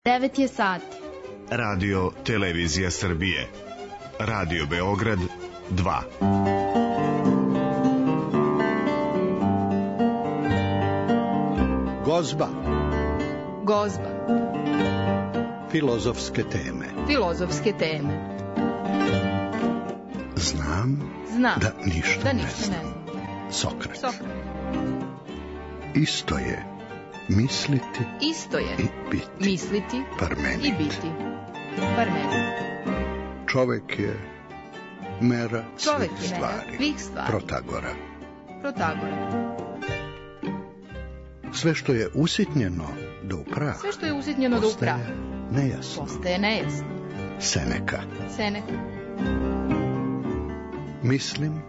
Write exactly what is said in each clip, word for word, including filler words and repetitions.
devet je sati. Radio Televizija Srbije. Radio Beograd dva. Gozba. Gozba. Filozofske teme. Filozofske teme. Znam, Znam da ništa, da ne ništa znam. ne znam. Sokrat. Sokrat. Isto je misliti Isto je i biti. misliti Parmenid. i biti. Parmenid. Čovek je mera Čovek svih je mera stvari. svih stvari. Protagora. Protagora. Sve što je usitnjeno do upraha, Sve što je usitnjeno do upraha postaje nejasno. postaje nejasno. Seneka. Seneka. Mislim,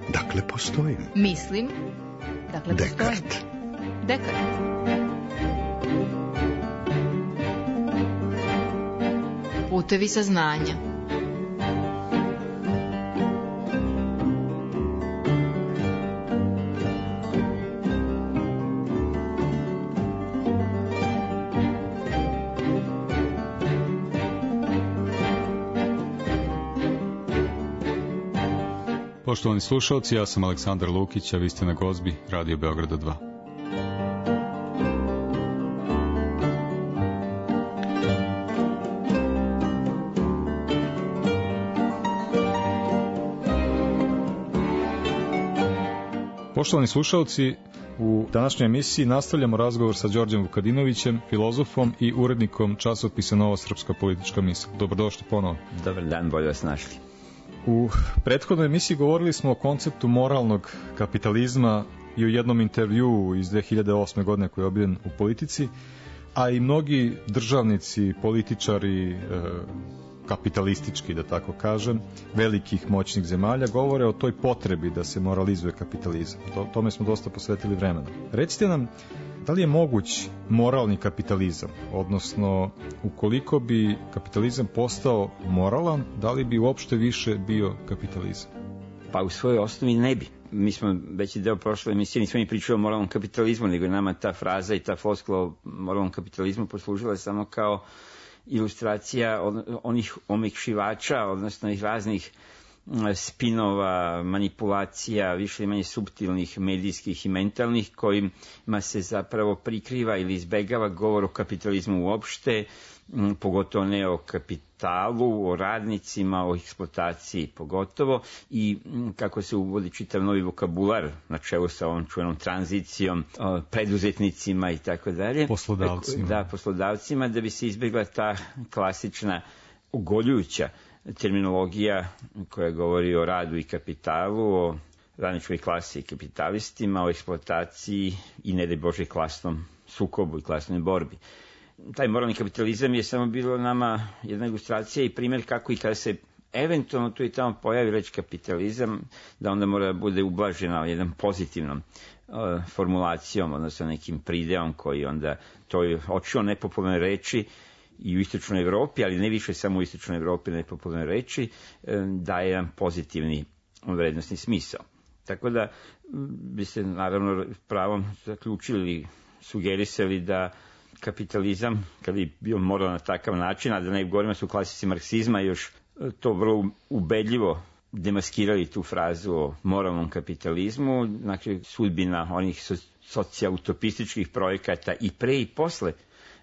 dakle postojim. Mislim, dakle postojim. Dekart. Dekart. Putevi saznanja. Poštovani slušalci, ja sam Aleksandar Lukić, a vi ste na Gozbi, Radio Beograda dva. Poštovani slušalci, u današnjoj emisiji nastavljamo razgovor sa Đorđem Vukadinovićem, filozofom i urednikom časopisa Nova srpska politička misao. Dobrodošli ponovo. Dobar dan, bolje vas našli. U prethodnoj emisiji govorili smo o konceptu moralnog kapitalizma i u jednom intervjuu iz dve hiljade osme. godine koji je objavljen u Politici, a i mnogi državnici, političari, e, kapitalistički, da tako kažem, velikih moćnih zemalja govore o toj potrebi da se moralizuje kapitalizam. To, tome smo dosta posvetili vremena. Recite nam, da li je moguć moralni kapitalizam, odnosno ukoliko bi kapitalizam postao moralan, da li bi uopšte više bio kapitalizam? Pa u svojoj osnovi ne bi. Mi smo veći deo prošle emisije nismo ni pričali o moralnom kapitalizmu, nego je nama ta fraza i ta floskula o moralnom kapitalizmu poslužila samo kao ilustracija onih omekšivača, odnosno ih raznih spinova, manipulacija, više ili manje suptilnih, medijskih i mentalnih, kojima se zapravo prikriva ili izbegava govor o kapitalizmu uopšte, pogotovo ne o kapitalu, o radnicima, o eksploataciji pogotovo, i kako se uvodi čitav novi vokabular na čelu sa ovom čuvenom tranzicijom, preduzetnicima i tako dalje. Poslodavcima. Da, poslodavcima, da bi se izbegla ta klasična ogoljujuća terminologija koja govori o radu i kapitalu, o radničkoj klasi i kapitalistima, o eksploataciji i ne daj Bože klasnom sukobu i klasnoj borbi. Taj moralni kapitalizam je samo bilo nama jedna ilustracija i primjer kako i kada se eventualno tu i tamo pojavi reč kapitalizam, da onda mora da bude ublažena jednom pozitivnom uh, formulacijom, odnosno nekim prideom koji onda toj očio nepopularne reči i u istočnoj Evropi, ali ne više samo u istočnoj Evropi nepopularne reči, daje jedan pozitivni vrednostni smisao. Tako da biste naravno pravom zaključili, sugerisali da kapitalizam, kada je bio moral na takav način, a da ne govorimo su klasici marksizma još to vrlo ubedljivo demaskirali tu frazu o moralnom kapitalizmu, znači sudbina onih socijautopističkih projekata i pre i posle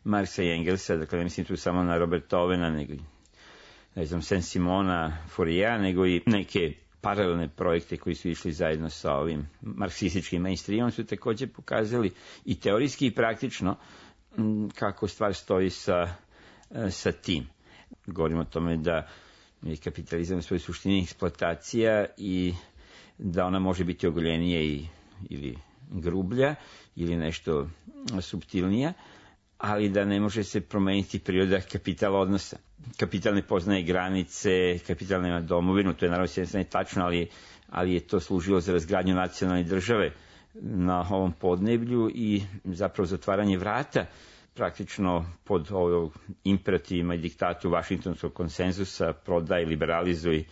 Marksa i Engelsa, dakle ne mislim tu samo na Roberta Ovena, nego ne znam, Saint-Simona, Fouriera, nego i neke paralelne projekte koji su išli zajedno sa ovim marksističkim mainstreamom, su takođe pokazali i teorijski i praktično kako stvar stoji sa, sa tim. Govorimo o tome da je kapitalizam u svojoj suštini eksploatacija i da ona može biti ogoljenija i, ili grublja ili nešto suptilnija, ali da ne može se promeniti priroda kapitala odnosa. Kapital ne poznaje granice, kapital nema domovinu, to je naravno s jedne strane tačno, ali, ali je to služilo za razgradnju nacionalne države na ovom podneblju i zapravo zatvaranje vrata praktično pod ovog imperativima i diktatu Vašingtonskog konsenzusa, prodaj, liberalizuj,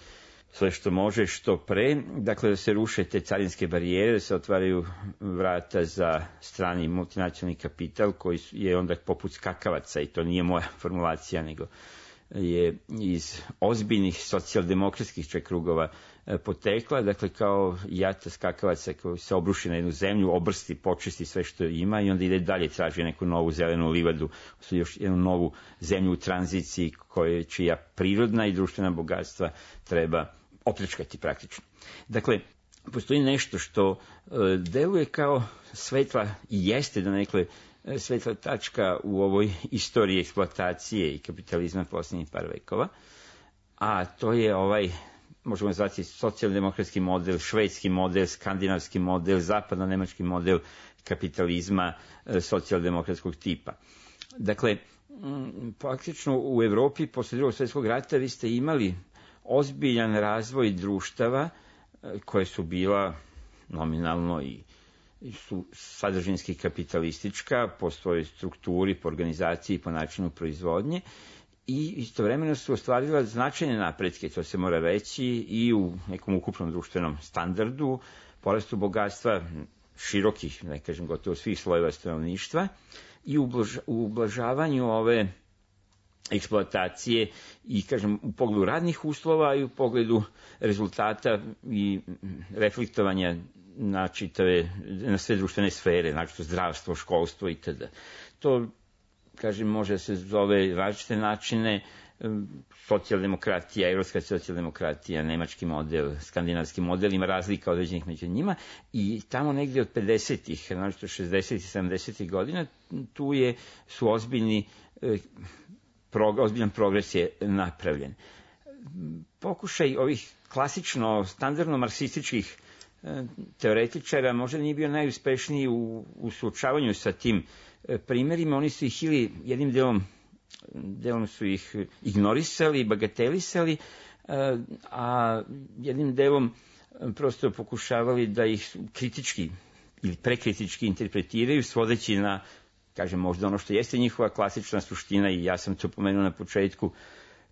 sve što može, što pre, dakle da se ruše te carinske barijere, da se otvaraju vrata za strani multinacionalni kapital koji je onda poput skakavaca, i to nije moja formulacija, nego je iz ozbiljnih socijaldemokratskih čak krugova potekla, dakle kao jata skakavaca koji se obruši na jednu zemlju, obrsti, počisti sve što ima i onda ide dalje, traži neku novu zelenu livadu, još jednu novu zemlju u tranziciji koje, čija prirodna i društvena bogatstva treba opljačkati praktično. Dakle, postoji nešto što e, deluje kao svetla i jeste da nekle svetla tačka u ovoj istoriji eksploatacije i kapitalizma posljednjih par vekova, a to je ovaj, možemo zvati, socijaldemokratski model, švedski model, skandinavski model, zapadno-nemački model kapitalizma e, socijaldemokratskog tipa. Dakle, m, praktično u Evropi posle drugog svjetskog rata vi ste imali ozbiljan razvoj društava e, koje su bila nominalno i su sadržinski kapitalistička po svojoj strukturi, po organizaciji, po načinu proizvodnje, i istovremeno su ostvarila značajne napretke, to se mora reći, i u nekom ukupnom društvenom standardu, porastu bogatstva širokih, ne kažem gotovo svih slojeva stanovništva, i u ublažavanju ove eksploatacije i, kažem, u pogledu radnih uslova i u pogledu rezultata i reflektovanja na čitave, na sve društvene sfere, znači zdravstvo, školstvo itd. To, kažem, može se zove različite načine, socijaldemokratija, evropska socijaldemokratija, nemački model, skandinavski model, ima razlika određenih među njima, i tamo negdje od pedesetih, znači šezdesetih i sedamdesetih godina, tu je, su ozbiljni, ozbiljan progres je napravljen. Pokušaj ovih klasično, standardno marksističkih teoretičara možda nije bio najuspešniji u, u suočavanju sa tim primjerima. Oni su ih ili jednim delom, delom su ih ignorisali, bagatelisali, a jednim delom prosto pokušavali da ih kritički ili prekritički interpretiraju, svodeći na, kažem, možda ono što jeste njihova klasična suština, i ja sam to pomenuo na početku,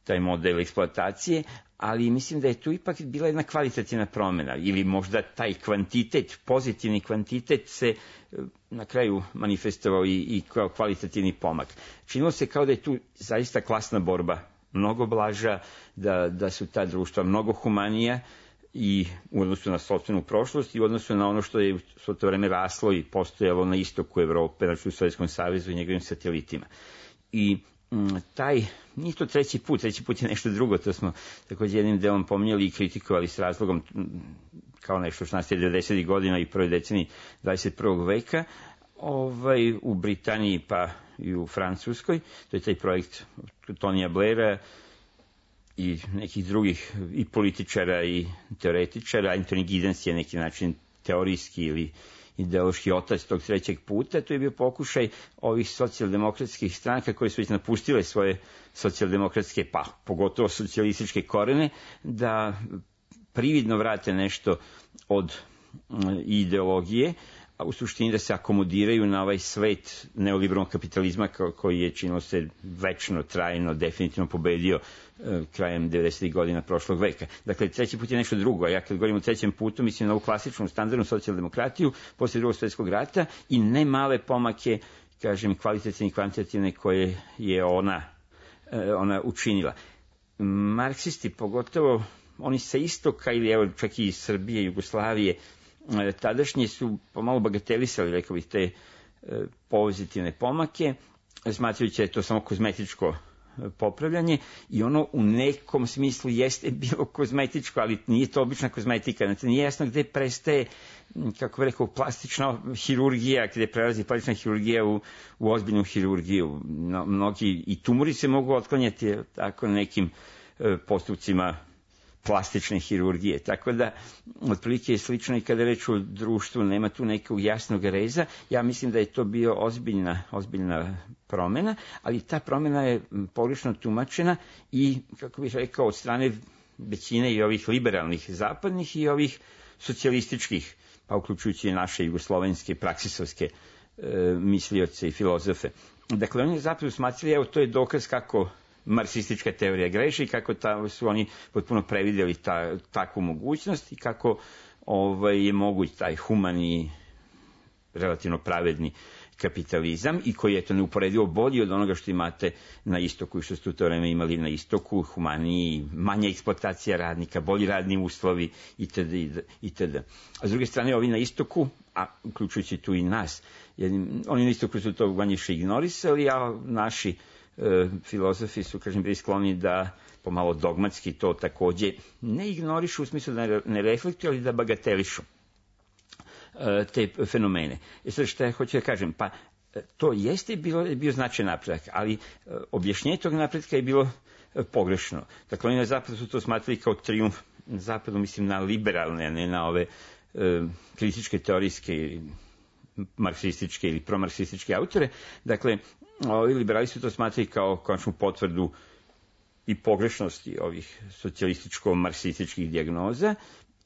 taj model eksploatacije, ali mislim da je tu ipak bila jedna kvalitativna promjena, ili možda taj kvantitet, pozitivni kvantitet se na kraju manifestovao i, i kao kvalitativni pomak. Činilo se kao da je tu zaista klasna borba mnogo blaža, da, da su ta društva mnogo humanija i u odnosu na sopstvenu prošlost i u odnosu na ono što je svo to vreme raslo i postojalo na istoku Evrope, znači u Sovjetskom savezu i njegovim satelitima. I taj, nije to treći put, treći put je nešto drugo, to smo također jednim delom pominjali i kritikovali s razlogom kao nešto što nastaje devedesetih godina i prvoj deceniji dvadeset prvog veka, ovaj, u Britaniji pa i u Francuskoj. To je taj projekt Tonija Blaira i nekih drugih i političara i teoretičara. Anthony Giddens je neki način teorijski ili ideološki otac tog trećeg puta. To je bio pokušaj ovih socijaldemokratskih stranaka koje su već napustile svoje socijaldemokratske, pa pogotovo socijalističke korene, da prividno vrate nešto od ideologije, a u suštini da se akomodiraju na ovaj svet neoliberalnog kapitalizma koji je, činilo se, večno, trajno, definitivno pobedio krajem devedesetih godina prošlog veka. Dakle, treći put je nešto drugo, a ja kad govorim o trećem putu mislim na ovu klasičnu, standardnu socijaldemokratiju posle drugog svjetskog rata i ne male pomake, kažem, kvalitativne i kvantitativne koje je ona, ona učinila. Marksisti, pogotovo oni sa istoka ili evo čak i iz Srbije, Jugoslavije, tadašnje su pomalo bagatelisali, rekao bih, te pozitivne pomake, smatrajući da je to samo kozmetičko popravljanje, i ono u nekom smislu jeste bilo kozmetičko, ali nije to obična kozmetika. Znači, nije jasno gde prestaje, kako bih rekao, plastična hirurgija, gde prelazi plastična hirurgija u, u ozbiljnu hirurgiju. No, mnogi i tumori se mogu otklanjati tako nekim e, postupcima plastične hirurgije. Tako da, otprilike je slično i kada reč o društvu, nema tu nekog jasnog reza. Ja mislim da je to bio ozbiljna, ozbiljna promjena, ali ta promjena je pogrešno tumačena i, kako bih rekao, od strane većine i ovih liberalnih zapadnih i ovih socijalističkih, pa uključujući i naše jugoslovenske praksisovske e, mislioce i filozofe. Dakle, oni zapravo smatrali, evo, to je dokaz kako marksistička teorija greši, kako ta, su oni potpuno previdjeli ta, takvu mogućnost i kako ovaj, je moguć taj humani, relativno pravedni kapitalizam i koji je to neuporedivo bolji od onoga što imate na istoku i što ste u to vreme imali na istoku, humaniji, manja eksploatacija radnika, bolji radni uslovi itd. itd. A s druge strane, ovi na istoku, a uključujući tu i nas, jednim, oni na istoku su to manje-više ignorisali, a naši e, filozofi su, kažem, bili skloni da pomalo dogmatski to takođe ne ignorišu u smislu da ne reflektuju, ali da bagatelišu te fenomene. E sad šta ja hoću da kažem, pa to jeste bilo, bio značajan napredak, ali objašnjenje tog napretka je bilo pogrešno. Dakle, oni na zapadu su to smatrali kao trijumf, na zapadu mislim na liberalne, a ne na ove e, kritičke, teorijske, marksističke ili promarksističke autore. Dakle, ovi liberali su to smatrali kao konačnu potvrdu i pogrešnosti ovih socijalističko-marksističkih dijagnoza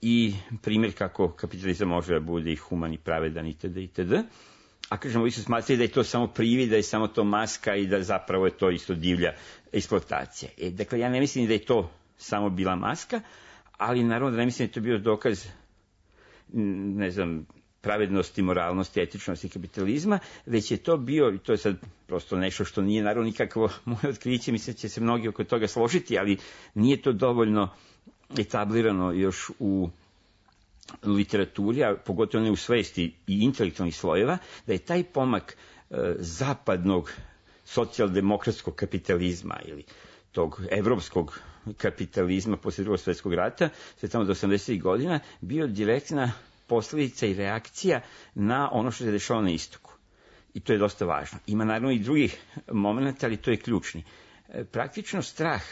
i primjer kako kapitalizam može da bude i human i pravedan itd. itd. A kažemo, vi su smatrali da je to samo privid, da je samo to maska i da zapravo je to isto divlja eksploatacija. E, dakle, ja ne mislim da je to samo bila maska, ali naravno da ne mislim da je to bio dokaz, ne znam, pravednosti, moralnosti, etičnosti kapitalizma, već je to bio, i to je sad prosto nešto što nije naravno nikakvo moje otkriće, mislim da će se mnogi oko toga složiti, ali nije to dovoljno etablirano još u literaturi, a pogotovo ne u svesti i intelektualnih slojeva, da je taj pomak e, zapadnog socijaldemokratskog kapitalizma ili tog evropskog kapitalizma posle drugog svjetskog rata, sve tamo do osamdesetih godina, bio direktna posljedica i reakcija na ono što se dešava na istoku. I to je dosta važno. Ima naravno i drugih momenta, ali to je ključni. E, praktično strah,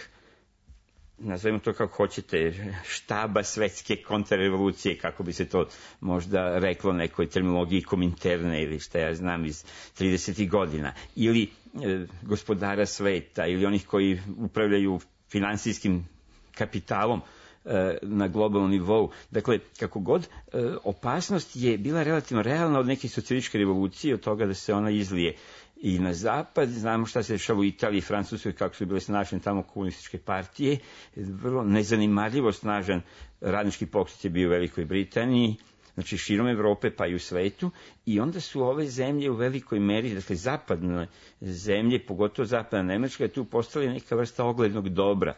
nazovimo to kako hoćete, štaba svetske kontrarevolucije, kako bi se to možda reklo nekoj terminologiji kominterne ili šta ja znam iz tridesetih godina, ili e, gospodara sveta, ili onih koji upravljaju finansijskim kapitalom e, na globalnom nivou. Dakle, kako god, e, opasnost je bila relativno realna od neke socijalističke revolucije, od toga da se ona izlije i na zapad. Znamo šta se dešava u Italiji i Francuskoj, kako su bile snažne tamo komunističke partije. Vrlo nezanimarljivo snažan radnički pokret je bio u Velikoj Britaniji, znači širom Evrope pa i u svetu. I onda su ove zemlje u velikoj meri, dakle zapadne zemlje, pogotovo zapadna Nemačka, tu postali neka vrsta oglednog dobra,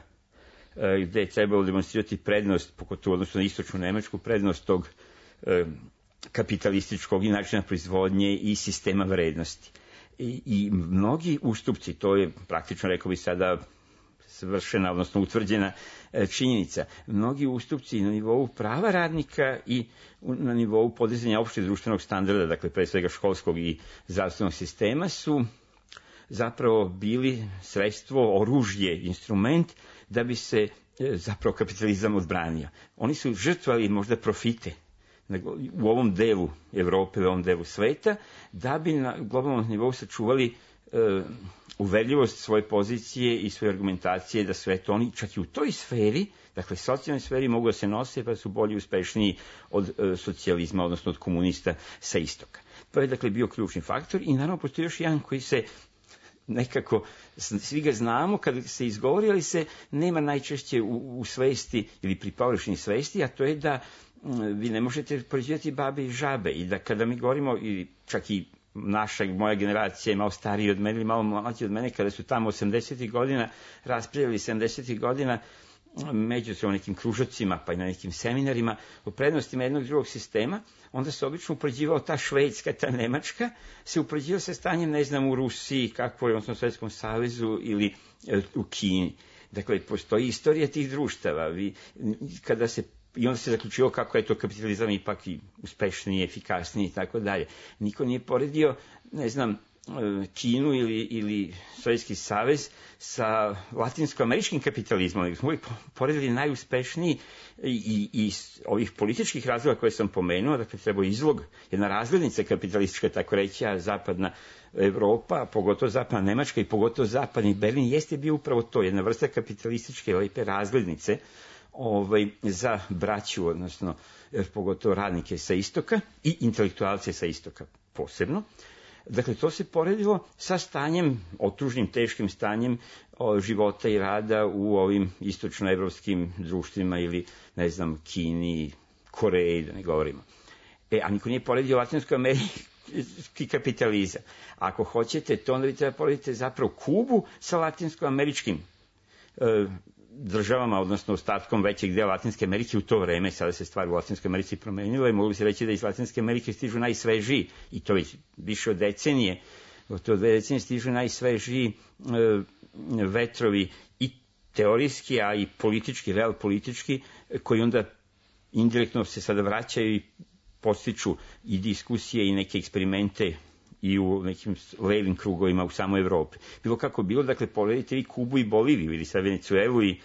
gde je trebalo demonstrirati prednost, pogotovo odnosno na istočnu Nemačku, prednost tog e, kapitalističkog i načina proizvodnje i sistema vrednosti. I, i mnogi ustupci, to je praktično, rekao bi sada, svršena, odnosno utvrđena e, činjenica, mnogi ustupci na nivou prava radnika i na nivou podizanja opšteg društvenog standarda, dakle pre svega školskog i zdravstvenog sistema, su zapravo bili sredstvo, oružje, instrument da bi se e, zapravo kapitalizam odbranio. Oni su žrtvali možda profite u ovom delu Evrope, u ovom delu sveta, da bi na globalnom nivou sačuvali e, uverljivost svoje pozicije i svoje argumentacije, da sve to oni čak i u toj sferi, dakle socijalnoj sferi, mogu da se nose pa su bolji i uspešniji od e, socijalizma, odnosno od komunista sa istoka. To je dakle bio ključni faktor i naravno postoji još jedan koji se nekako, svi ga znamo, kad se izgovori, ali se nema najčešće u, u svesti ili pri površini svesti, a to je da vi ne možete poređivati babe i žabe i da kada mi govorimo, i čak i naša, moja generacija je malo stariji od mene ili malo mlađi od mene, kada su tamo osamdesetih godina raspravljali sedamdesetih godina među se o nekim kružocima pa i na nekim seminarima o prednostima jednog drugog sistema, onda se obično upoređivao ta Švedska, ta Nemačka, se upoređivao sa stanjem, ne znam, u Rusiji, kako je, odnosno u Svjetskom savezu ili e, u Kini. Dakle, postoji istorija tih društava. Vi, kada se I onda se zaključio kako je to kapitalizam ipak i uspešniji, efikasniji i tako dalje. Niko nije poredio, ne znam, Kinu ili, ili Sovjetski savez sa latinsko-američkim kapitalizmom, nego smo uvijek poredili najuspešniji i, i ovih političkih razloga koje sam pomenuo, dakle treba izlog, jedna razglednica kapitalistička, tako reći, a zapadna Evropa, pogotovo zapadna Nemačka i pogotovo zapadni Berlin, jeste bio upravo to, jedna vrsta kapitalističke lepe razglednice, Ovaj, za braću, odnosno pogotovo radnike sa istoka i intelektualce sa istoka posebno. Dakle, to se poredilo sa stanjem, otužnim, teškim stanjem o, života i rada u ovim istočnoevropskim društvima ili, ne znam, Kini, Koreji, da ne govorimo. E, a niko nije poredio Latinskoj Ameriki kapitalizam. Ako hoćete, to onda vi treba porediti zapravo Kubu sa latinskoameričkim e, državama, odnosno ostatkom većeg dela Latinske Amerike u to vreme. Sada se stvar u Latinskoj Americi promenila i mogli se reći da iz Latinske Amerike stižu najsvežiji, i to već više od decenije, to dve decenije stižu najsvežiji e, vetrovi i teorijski, a i politički, real politički, koji onda indirektno se sada vraćaju i postiču i diskusije i neke eksperimente i u nekim levim krugovima u samoj Evropi. Bilo kako bilo, dakle, pogledajte vi Kubu i Boliviju ili sa Venecuelu i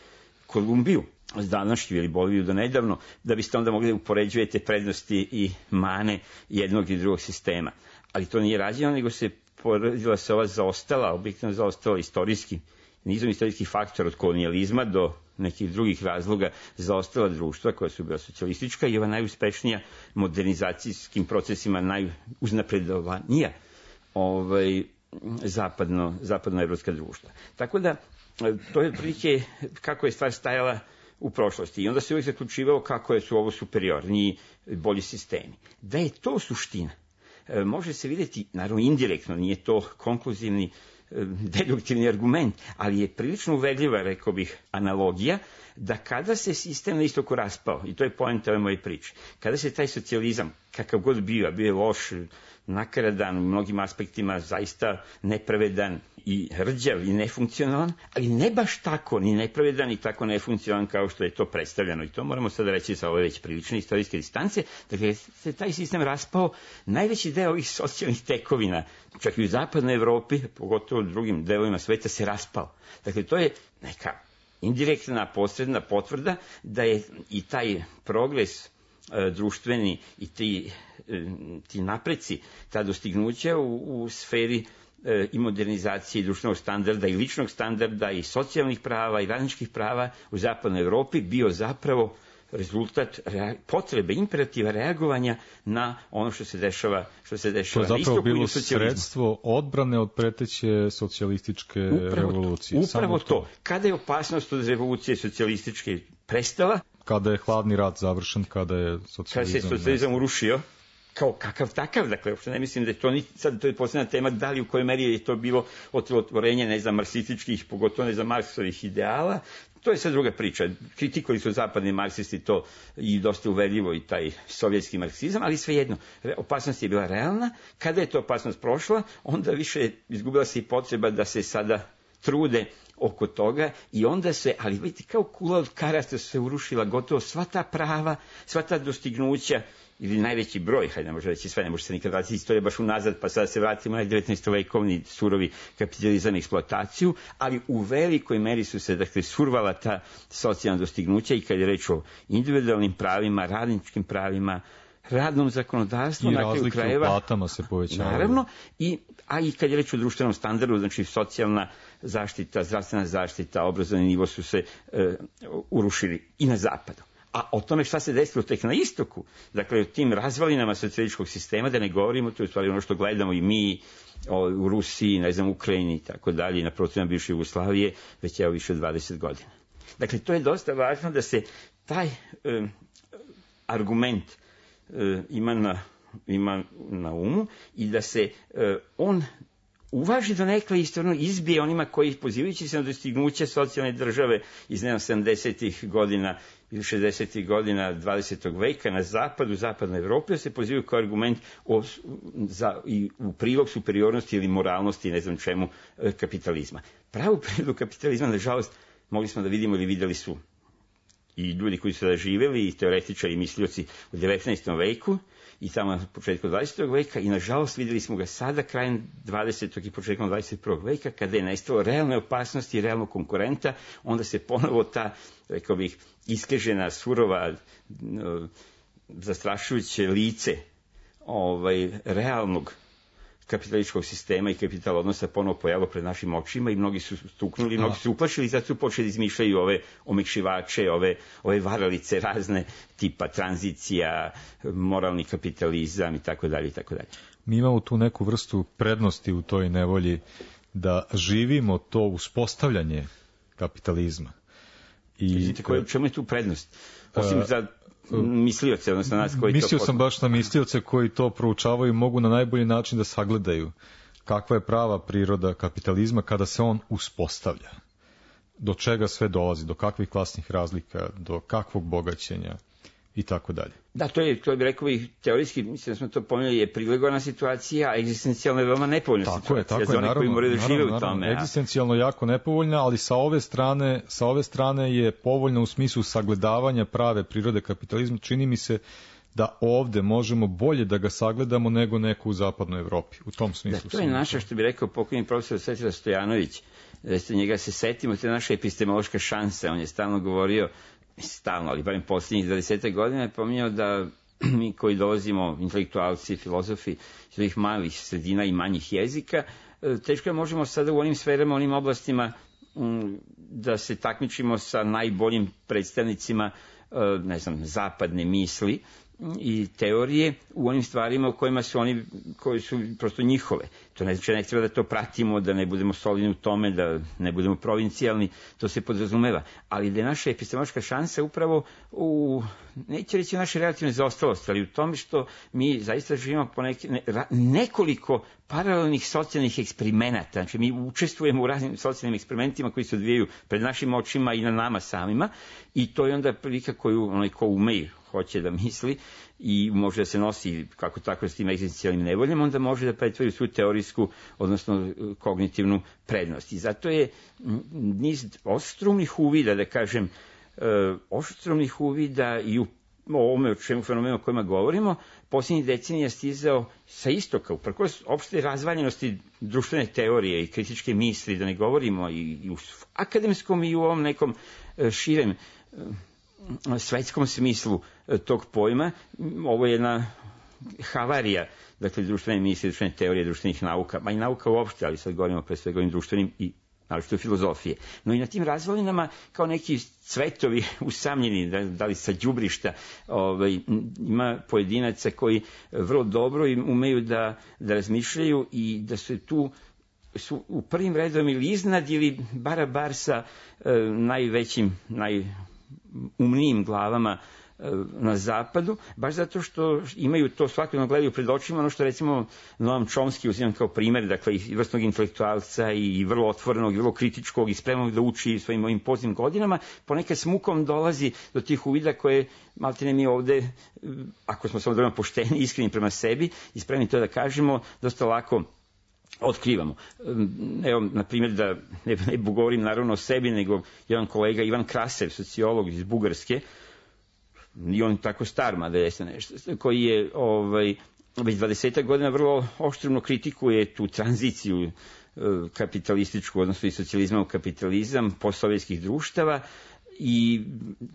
Kolumbiju s današnju ili Boliviju do nedavno, da biste onda mogli da upoređujete prednosti i mane jednog i drugog sistema. Ali to nije rađeno, nego se poredila se ova zaostala, objektivno zaostala istorijski, nizom istorijskih faktora od kolonijalizma do nekih drugih razloga zaostala društva koja su bila socijalistička i ova najuspešnija modernizacijskim procesima najuznapredovanija ovaj, zapadno, zapadnoevropska društva. Tako da, to je otprilike kako je stvar stajala u prošlosti. I onda se uvijek zaključivalo kako je su ovo superiorni bolji sistemi. Da je to suština, može se vidjeti, naravno indirektno, nije to konkluzivni deduktivni argument, ali je prilično uvedljiva, rekao bih, analogija, da kada se sistem na istoku raspao, i to je poenta ove moje priče, kada se taj socijalizam, kakav god bio, bio je loš, nakaradan, u mnogim aspektima zaista nepravedan i rđav i nefunkcionalan, ali ne baš tako, ni nepravedan i tako nefunkcionalan kao što je to predstavljeno. I to moramo sada reći sa ove već prilične istorijske distance. Dakle, se taj sistem raspao, najveći deo ovih socijalnih tekovina, čak i u zapadnoj Evropi, pogotovo u drugim delovima sveta, se raspao. Dakle, to je neka indirektna, posredna potvrda da je i taj progres društveni i ti, ti napreci, ta dostignuća u, u sferi e, i modernizacije društvenog standarda i ličnog standarda i socijalnih prava i radničkih prava u zapadnoj Evropi bio zapravo rezultat potrebe, imperativa reagovanja na ono što se dešava, što se dešava na istoku. To je zapravo bilo socijalizmu. Sredstvo odbrane od preteće socijalističke upravo revolucije. To, upravo to. to. Kada je opasnost od revolucije socijalističke prestala, kada je hladni rat završen, kada je socijalizam... Kada se socijalizam urušio, kao kakav takav, dakle, uopšte ne mislim da je to ni, sad to je posebna tema, da li u kojoj meri je to bilo otvorenje, ne znam, marksističkih, pogotovo ne znam, Marksovih ideala, to je sad druga priča. Kritikovali su zapadni marksisti to i dosta uvedljivo i taj sovjetski marksizam, ali svejedno, opasnost je bila realna. Kada je to opasnost prošla, onda više izgubila se i potreba da se sada trude oko toga i onda se, ali vidite, kao kula od karata se urušila gotovo sva ta prava, sva ta dostignuća, ili najveći broj, hajde ne može reći sve, ne može se nikad vratiti istorija baš unazad, pa sada se vratimo na devetnaestovekovni surovi kapitalizam i eksploataciju, ali u velikoj meri su se, dakle, survala ta socijalna dostignuća i kad je reč o individualnim pravima, radničkim pravima, radnom zakonodavstvu, i na kraju krajeva, razlike u platama se povećavaju. Naravno, i, a i kad je reč o društvenom standardu, znači socijalna zaštita, zdravstvena zaštita, obrazovni nivo su se e, urušili i na zapadu. A o tome šta se desilo tek na istoku, dakle o tim razvalinama socijalističkog sistema, da ne govorimo, to je u stvari ono što gledamo i mi o, u Rusiji, ne znam, Ukrajini i tako dalje, na prostorima bivše Jugoslavije, već evo više od dvadeset godina. Dakle, to je dosta važno da se taj e, argument e, ima na, ima na umu i da se e, on uvaži do nekle istorno izbije onima koji pozivajući se na dostignuće socijalne države iz ne znam sedamdesetih godina ili šezdesetih godina dvadesetog veka na zapadu, zapadnoj Evropi, se pozivaju kao argument o, za, i u prilog superiornosti ili moralnosti, ne znam čemu, kapitalizma. Pravu prirodu kapitalizma, nažalost, mogli smo da vidimo ili videli su i ljudi koji su da živeli, i teoretičari i mislioci u devetnaestom veku, i tamo na početku dvadesetog veka, i nažalost videli smo ga sada krajem dvadesetog i početkom dvadeset prvog veka, kada je nestalo realne opasnosti i realnog konkurenta, onda se ponovo ta, rekao bih, iskrežena, surova, zastrašujuće lice ovaj, realnog kapitalističkog sistema i kapital odnosa ponovo pojavilo pred našim očima i mnogi su stuknuli, mnogi su uplašili i zato su počeli da izmišljaju ove omekšivače, ove, ove varalice razne tipa tranzicija, moralni kapitalizam i tako dalje i tako dalje. Mi imamo tu neku vrstu prednosti u toj nevolji da živimo to uspostavljanje kapitalizma. I Vidite, koje, čemu je tu prednost? Osim za mislioce, odnosno nas koji mislio to... sam baš na mislioce koji to proučavaju i mogu na najbolji način da sagledaju kakva je prava priroda kapitalizma kada se on uspostavlja. Do čega sve dolazi, do kakvih klasnih razlika, do kakvog bogaćenja i tako dalje. Da, to je, to bi rekao i teorijski, mislim da smo to pomenuli, je privilegovana situacija, a egzistencijalno je veoma nepovoljna tako situacija je, tako za je, one naravno, koji moraju da žive naravno, u tome. Naravno, egzistencijalno jako nepovoljna, ali sa ove strane, sa ove strane je povoljna u smislu sagledavanja prave prirode kapitalizma. Čini mi se da ovde možemo bolje da ga sagledamo nego neko u zapadnoj Evropi. U tom smislu. Da, to je naša, što bi rekao pokojni profesor Svetislav Stojanović, da se njega se setimo, to je naša epistemološka šansa. On je stalno govorio, stalno, ali barem posljednjih dvadeset godina je pominjao da mi koji dolazimo, intelektualci, filozofi, iz ovih malih sredina i manjih jezika, teško je možemo sada u onim sferama, onim oblastima da se takmičimo sa najboljim predstavnicima, ne znam, zapadne misli i teorije u onim stvarima u kojima su oni, koji su prosto njihove. To ne znači, ne treba da to pratimo, da ne budemo solidni u tome, da ne budemo provincijalni, to se podrazumeva. Ali da je naša epistemološka šansa upravo u, neće reći u našoj relativnoj zaostalosti, ali u tome što mi zaista živimo po neke, ne, ra, nekoliko paralelnih socijalnih eksperimenata. Znači, mi učestvujemo u raznim socijalnim eksperimentima koji se odvijaju pred našim očima i na nama samima i to je onda prilika koju onaj ko ume hoće da misli i može da se nosi kako tako s tim egzistencijalnim nevoljama, onda može da pretvori svu teorijsku, odnosno kognitivnu prednost. I zato je niz oštrumnih uvida, da kažem, oštrumnih uvida i u ovome o čemu fenomenu o kojima govorimo, posljednjih decenija stizao sa istoka, uprkos opšte razvaljenosti društvene teorije i kritičke misli, da ne govorimo i, i u akademskom i u ovom nekom širem svetskom smislu tog pojma. Ovo je jedna havarija, dakle, društvene misli, društvene teorije, društvenih nauka, ma i nauka uopšte, ali sad govorimo pre svega ovim društvenim i naročito filozofije. No i na tim razvalinama, kao neki cvetovi usamljeni, da, da li sa đubrišta, ovaj, ima pojedinaca koji vrlo dobro umeju da, da razmišljaju i da su tu su u prvim redom ili iznad ili bara bar sa e, najvećim, najumnijim glavama e, na zapadu, baš zato što imaju to svakodnevno gledaju pred očima, ono što recimo Noam Chomsky uzimam kao primer, dakle i vrstnog intelektualca i vrlo otvorenog, i vrlo kritičkog i spremnog da uči svojim ovim poznim godinama, ponekad s mukom dolazi do tih uvida koje maltene mi ovde, ako smo samo dovoljno pošteni, iskreni prema sebi i spremni to da kažemo, dosta lako otkrivamo. Evo, na primjer, da ne, ne govorim naravno o sebi, nego jedan kolega Ivan Krasev, sociolog iz Bugarske, nije on tako star, mada je nešto, koji je ovaj, već dvadeset godina vrlo oštrumno kritikuje tu tranziciju kapitalističku, odnosno i socijalizma u kapitalizam postsovjetskih društava. I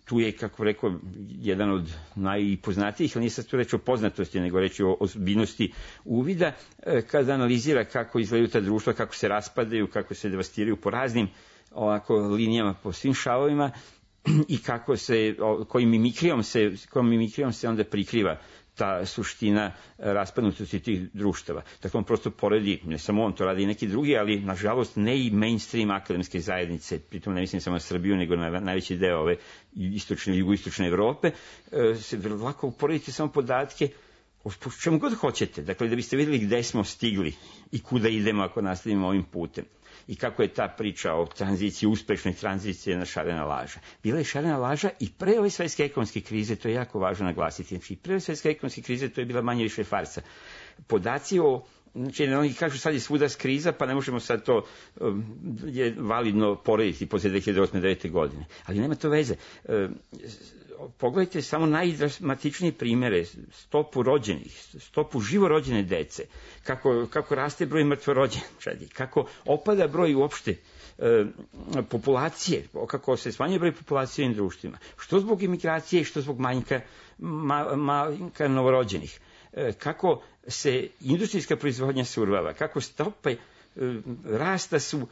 tu je, kako rekao, jedan od najpoznatijih, ali nije sad tu reč o poznatosti, nego reč o ozbiljnosti uvida, kada analizira kako izgledaju ta društva, kako se raspadaju, kako se devastiraju po raznim ovako linijama, po svim šavovima i kako se, kojim mimikrijom se, kojim mimikrijom se onda prikriva ta suština raspadnutosti tih društava. Dakle, on prosto poredi, ne samo on, to radi i neki drugi, ali nažalost ne i mainstream akademske zajednice, pritom ne mislim samo na Srbiju, nego na najveći deo ove istočne i jugoistočne Evrope, se vrlo lako uporedite samo podatke o čemu god hoćete, dakle, da biste vidjeli gde smo stigli i kuda idemo ako nastavimo ovim putem. I kako je ta priča o tranziciji, uspešnoj tranziciji na šarena laža. Bila je šarena laža i pre ove svetske ekonomske krize, to je jako važno naglasiti. Znači, pre ove svetske ekonomske krize to je bila manje više farsa. Podaci o, znači, oni kažu sad je svuda kriza, pa ne možemo sad to um, je validno porediti posle dve hiljade osme. devete godine. Ali nema to veze. Um, pogledajte samo najdramatičnije primere, stopu rođenih, stopu živorođene dece, kako, kako raste broj mrtvorođenčadi, kako opada broj uopšte e, populacije, kako se smanjuje broj populacije u ovim društvima, što zbog imigracije, što zbog manjka, ma, manjka novorođenih. kako se industrijska proizvodnja survava, kako stope rasta su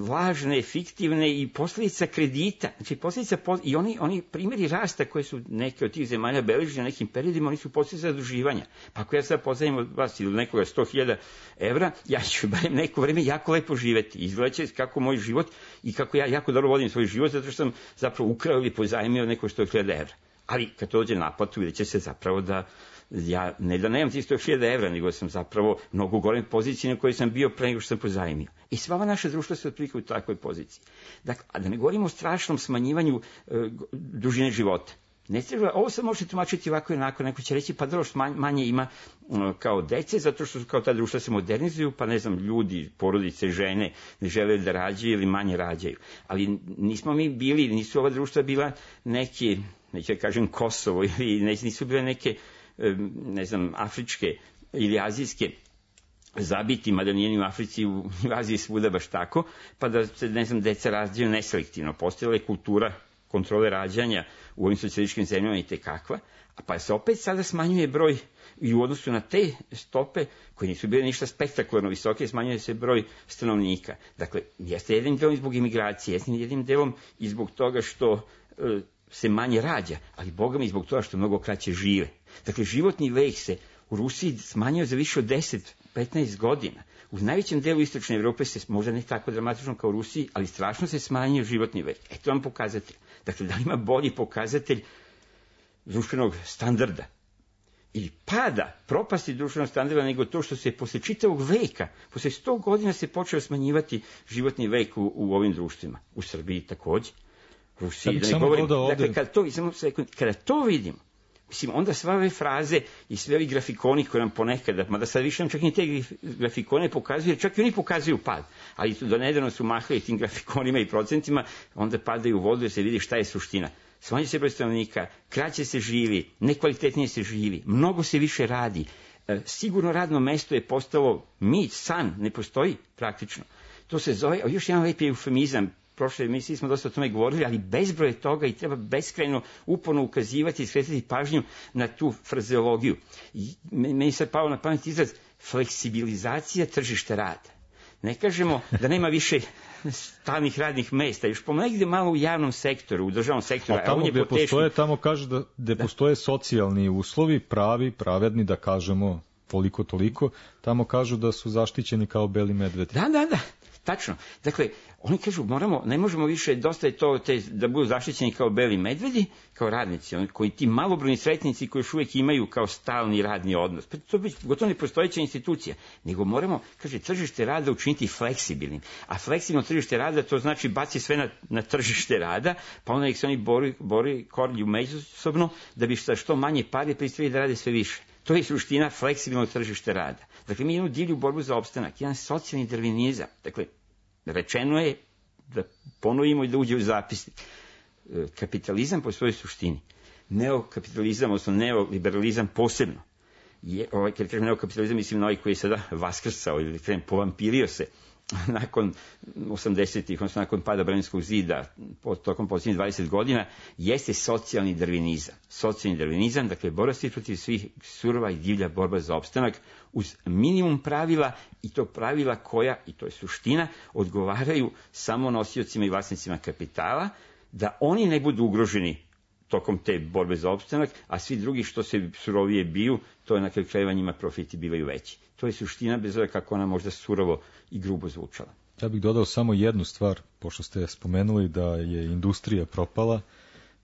lažne, fiktivne i posljedica kredita. Znači, posljedica, i oni, oni primjeri rasta koje su neke od tih zemalja beležili na nekim periodima, oni su posljedica zaduživanja. Pa ako ja sad pozajmim od vas ili nekoga sto hiljada evra, ja ću barem neko vreme jako lepo živeti. Izgledaće kako moj život i kako ja jako dobro vodim svoj život, zato što sam zapravo ukrao ili pozajmio neko sto hiljada evra. Ali kad to dođe naplatu, vidjet će se zapravo da ja ne da nemam ti sto hiljada evra, nego sam zapravo mnogo u gorem poziciji na kojoj sam bio pre nego što sam pozajmio. I sva ova naša društva se otprilike u takvoj poziciji. Dakle, a da ne govorimo o strašnom smanjivanju e, dužine života. Ne treba, ovo se može tumačiti ovako i onako, neko će reći pa dobro što manje ima um, kao dece, zato što kao ta društva se modernizuju, pa ne znam, ljudi, porodice, žene ne žele da rađaju ili manje rađaju. Ali nismo mi bili, nisu ova društva bila neke, neću da kažem Kosovo, ili nisu bile neke, ne znam, afričke ili azijske zabiti, mada nije ni u Africi, u Aziji svuda baš tako, pa da se, ne znam, deca rađaju neselektivno. Postojala je kultura kontrole rađanja u ovim socijalističkim zemljama i tekakva, a pa se opet sada smanjuje broj i u odnosu na te stope, koje nisu bile ništa spektakularno visoke, smanjuje se broj stanovnika. Dakle, jeste jednim delom i zbog imigracije, jeste jednim delom i zbog toga što e, se manje rađa, ali Boga mi zbog toga što mnogo kraće žive. Dakle, životni vek se u Rusiji smanjio za više od deset do petnaest godina. U najvećem delu istočne Evrope se, možda ne tako dramatično kao u Rusiji, ali strašno se smanjio životni vek. Eto vam pokazatelj. Dakle, da li ima bolji pokazatelj društvenog standarda ili pada, propasti društvenog standarda, nego to što se posle čitavog veka, posle sto godina se počeo smanjivati životni vek u, u ovim društvima. U Srbiji takođe. Rusiji, da ne govorim. Dakle, kada to, kada to vidimo, mislim, onda sve ove fraze i sve ovi grafikoni koje nam ponekada, mada sad više nam čak i te grafikone pokazuju, čak i oni pokazuju pad, ali do nedavno su mahali tim grafikonima i procentima, onda padaju u vodu da se vidi šta je suština. Smanjuje se broj stanovnika, kraće se živi, nekvalitetnije se živi, mnogo se više radi, sigurno radno mesto je postalo mit, san, ne postoji praktično. To se zove, još jedan lepi eufemizam, prošle emisiji smo dosta o tome govorili, ali bezbroj je toga i treba beskrajno uporno ukazivati i skretati pažnju na tu frazeologiju. I meni sad pao na pamet izraz fleksibilizacija tržišta rada. Ne kažemo da nema više stalnih radnih mesta, još ponegde malo u javnom sektoru, u državnom sektoru. A tamo gde postoje, tamo kaže da gde da. postoje socijalni uslovi, pravi, pravedni, da kažemo toliko, toliko, tamo kažu da su zaštićeni kao beli medvedi. Da, da, da. Tačno. Dakle, oni kažu, moramo, ne možemo više, dosta je to te, da budu zaštićeni kao beli medvedi, kao radnici, oni koji ti malobrojni sretnici koji još uvijek imaju kao stalni radni odnos. Pa to bi gotovo nepostojeća institucija. Nego moramo, kaže, tržište rada učiniti fleksibilnim. A fleksibilno tržište rada, to znači baci sve na, na tržište rada, pa onda ih se oni bori, bori korlju međusobno, da bi šta što manje pare pristali da rade sve više. To je suština fleksibilnog tržišta rada. Dakle, mi imamo divlju borbu za opstanak, jedan socijalni darvinizam. Dakle, rečeno je, da ponovimo i da uđe u zapisnik, kapitalizam po svojoj suštini, neokapitalizam, odnosno neoliberalizam posebno, je, ovaj, kad kažem neokapitalizam, mislim na ovaj koji je sada vaskrsao ili kažem povampirio se nakon osamdesetih, odnosno nakon pada Berlinskog zida, tokom posljednjih dvadeset godina, jeste socijalni darvinizam. Socijalni darvinizam, dakle, borba se protiv svih, surova i divlja borba za opstanak, uz minimum pravila, i to pravila koja, i to je suština, odgovaraju samo nosiocima i vlasnicima kapitala, da oni ne budu ugroženi tokom te borbe za opstanak, a svi drugi što se surovije biju, to je na kraju krajeva njima profiti bivaju veći. To je suština, bez obzira kako ona možda surovo i grubo zvučala. Ja bih dodao samo jednu stvar, pošto ste spomenuli da je industrija propala,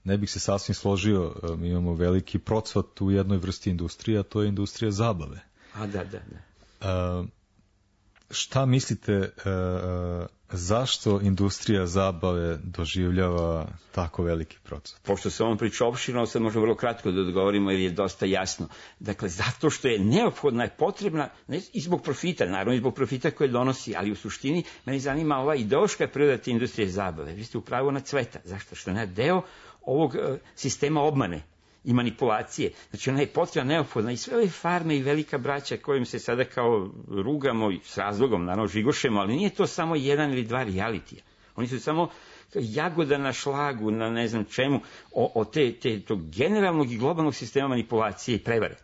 ne bih se sasvim složio, mi imamo veliki procvat u jednoj vrsti industrije, a to je industrija zabave. A da, da, da. A, šta mislite, a, zašto industrija zabave doživljava tako veliki procvat? Pošto se ovom priča opširno, sad možemo vrlo kratko da odgovorimo jer je dosta jasno. Dakle, zato što je neophodna, je potrebna, ne, i zbog profita, naravno i zbog profita koje donosi, ali u suštini meni zanima ova ideološka priroda te industrije zabave. Vi ste upravo na cveta. Zašto? Što je deo ovog uh, sistema obmane i manipulacije. Znači, ona je potrebna, neophodna, i sve ove farme i velika braća kojim se sada kao rugamo i s razlogom, naravno, žigošemo, ali nije to samo jedan ili dva realitija. Oni su samo jagoda na šlagu, na ne znam čemu, o, o te, te, tog generalnog i globalnog sistema manipulacije i prevare.